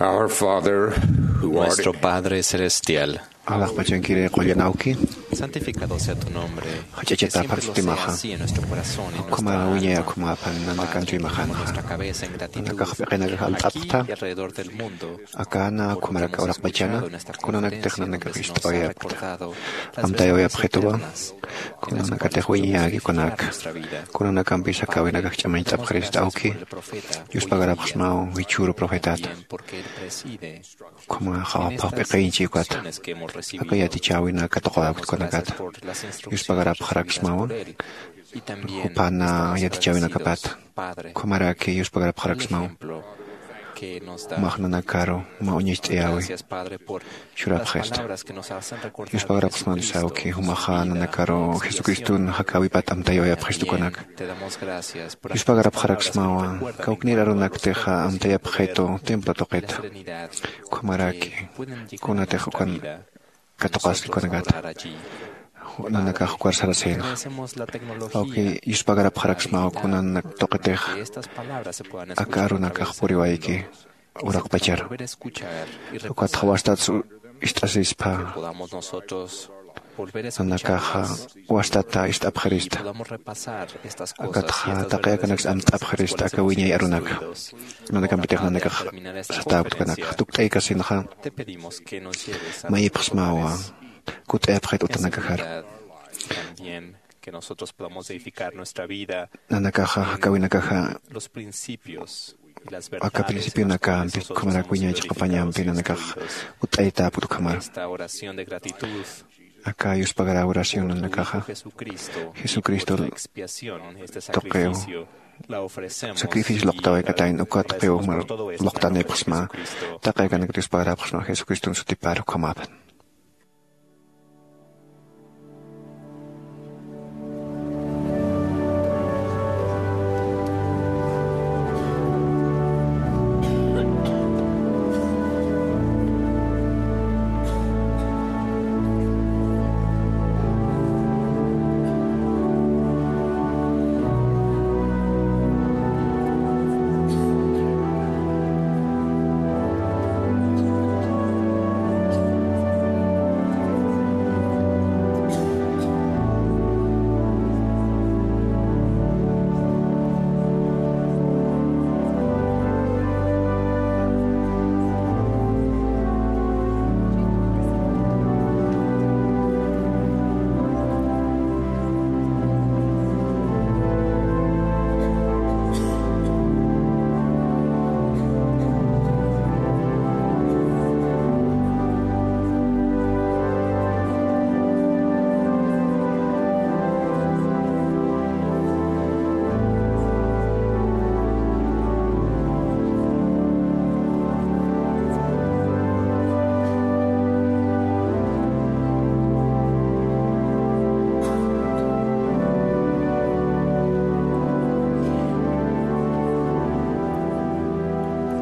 Our Father, who art Nuestro Padre Celestial, alaxpachankiri qullan awki, santificado sea tu nombre, jach'achata que siempre lo sea phaxtimaxa, así en nuestro corazón y en ukhama nuestra wiñay alma, ukhama apan nanakantuymaxan, nuestra cabeza en gratitud, nanakax p'iqinakax aquí y alxapxta, alrededor del mundo, akana ukhamaraka uraqpachana, kunanak tixnanakax ist'awayapkta, amtayawayapxituwa, kunanakatix wiñayäki kunaka, kunanakampis akawinakax ch'amañcht'apxirista awki, yuspagarapxsmaw jichhüru profetata. Ukhamaxa phaxp'iqinchi ukata, aka yatichäwinaka tuqawayapkta kunakata, yuspagarapxaraksmawa, jupan yatichäwinakapata, ukhamaraki yuspagarapxaraksmawa, jumax nanakaru mä uñacht'ayäwi churapxista. Yuspagarapxsmani sawki, jumaxa nanakaru Jesucriston jakäwipat amtayawayapxistu kunaka. Yuspagarapxaraksmawa, kawknir arunaktixa amtayapxitu templo tuqita. Ukhamaraki kunatix ukan katuqaski kunakata, nanakax ukar sarasïnxa. Awki, yuspagarapxaraksmawa kunanak tuqitix aka arunakax puriwayki uraqpacharu. Ukatxa wastat ist'asispa, nanakaxa wastata ist'apxirista, akatxa taqi akanaksa amt'apxirista aka wiñay arunaka. Nanakampitix nanakax satäpkta kunaka, tukt'aykasinxa, mayipxsmawa, kutt'ayapxit utanakaxaru. Nanakaxa jakäwinakaxa aka principionakampi, ukhamarak wiñay chiqapañampi nanakax utt'aytäpkta ukhamaru. Aka yuspagaräw oración nanakaxa Jesucristo tuqiw sacrificio luqtawaykatäyan, uka tuqiw luqtanipxsma, taqi akanakat yuspagarapxsma Jesucriston sutipar ukhamapan.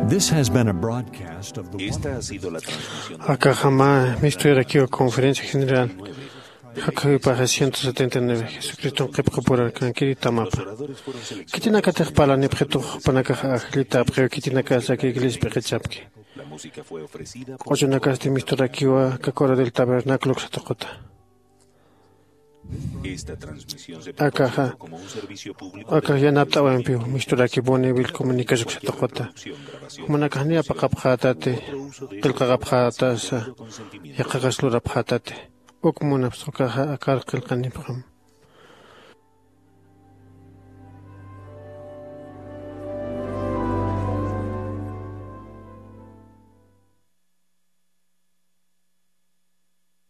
This has been a broadcast of the Esta ha sido la transmisión de Akaxama mistuyarakiwa conferencia general. Jakhuypaxa ciento setenta y nueve, Jesucriston qhipqapurarkankiri tamapa. Khitinakatix parlanipxitux jupanakax ajllitäpxiw, khitinakasa aka iglesia p'iqichapki. Q'uchunakasti misturakiwa aka coro del tabernáculo uksa tuquta. Akaxa, akax yanapt'awayampiw misturaki Bonneville Comunicas uksa tuquta. Jumanakax niya paqapxätati, qillqaqapxätasa, yaqhakas lurapxätati. Uk munapxsa ukaxa akar qillqanipxam.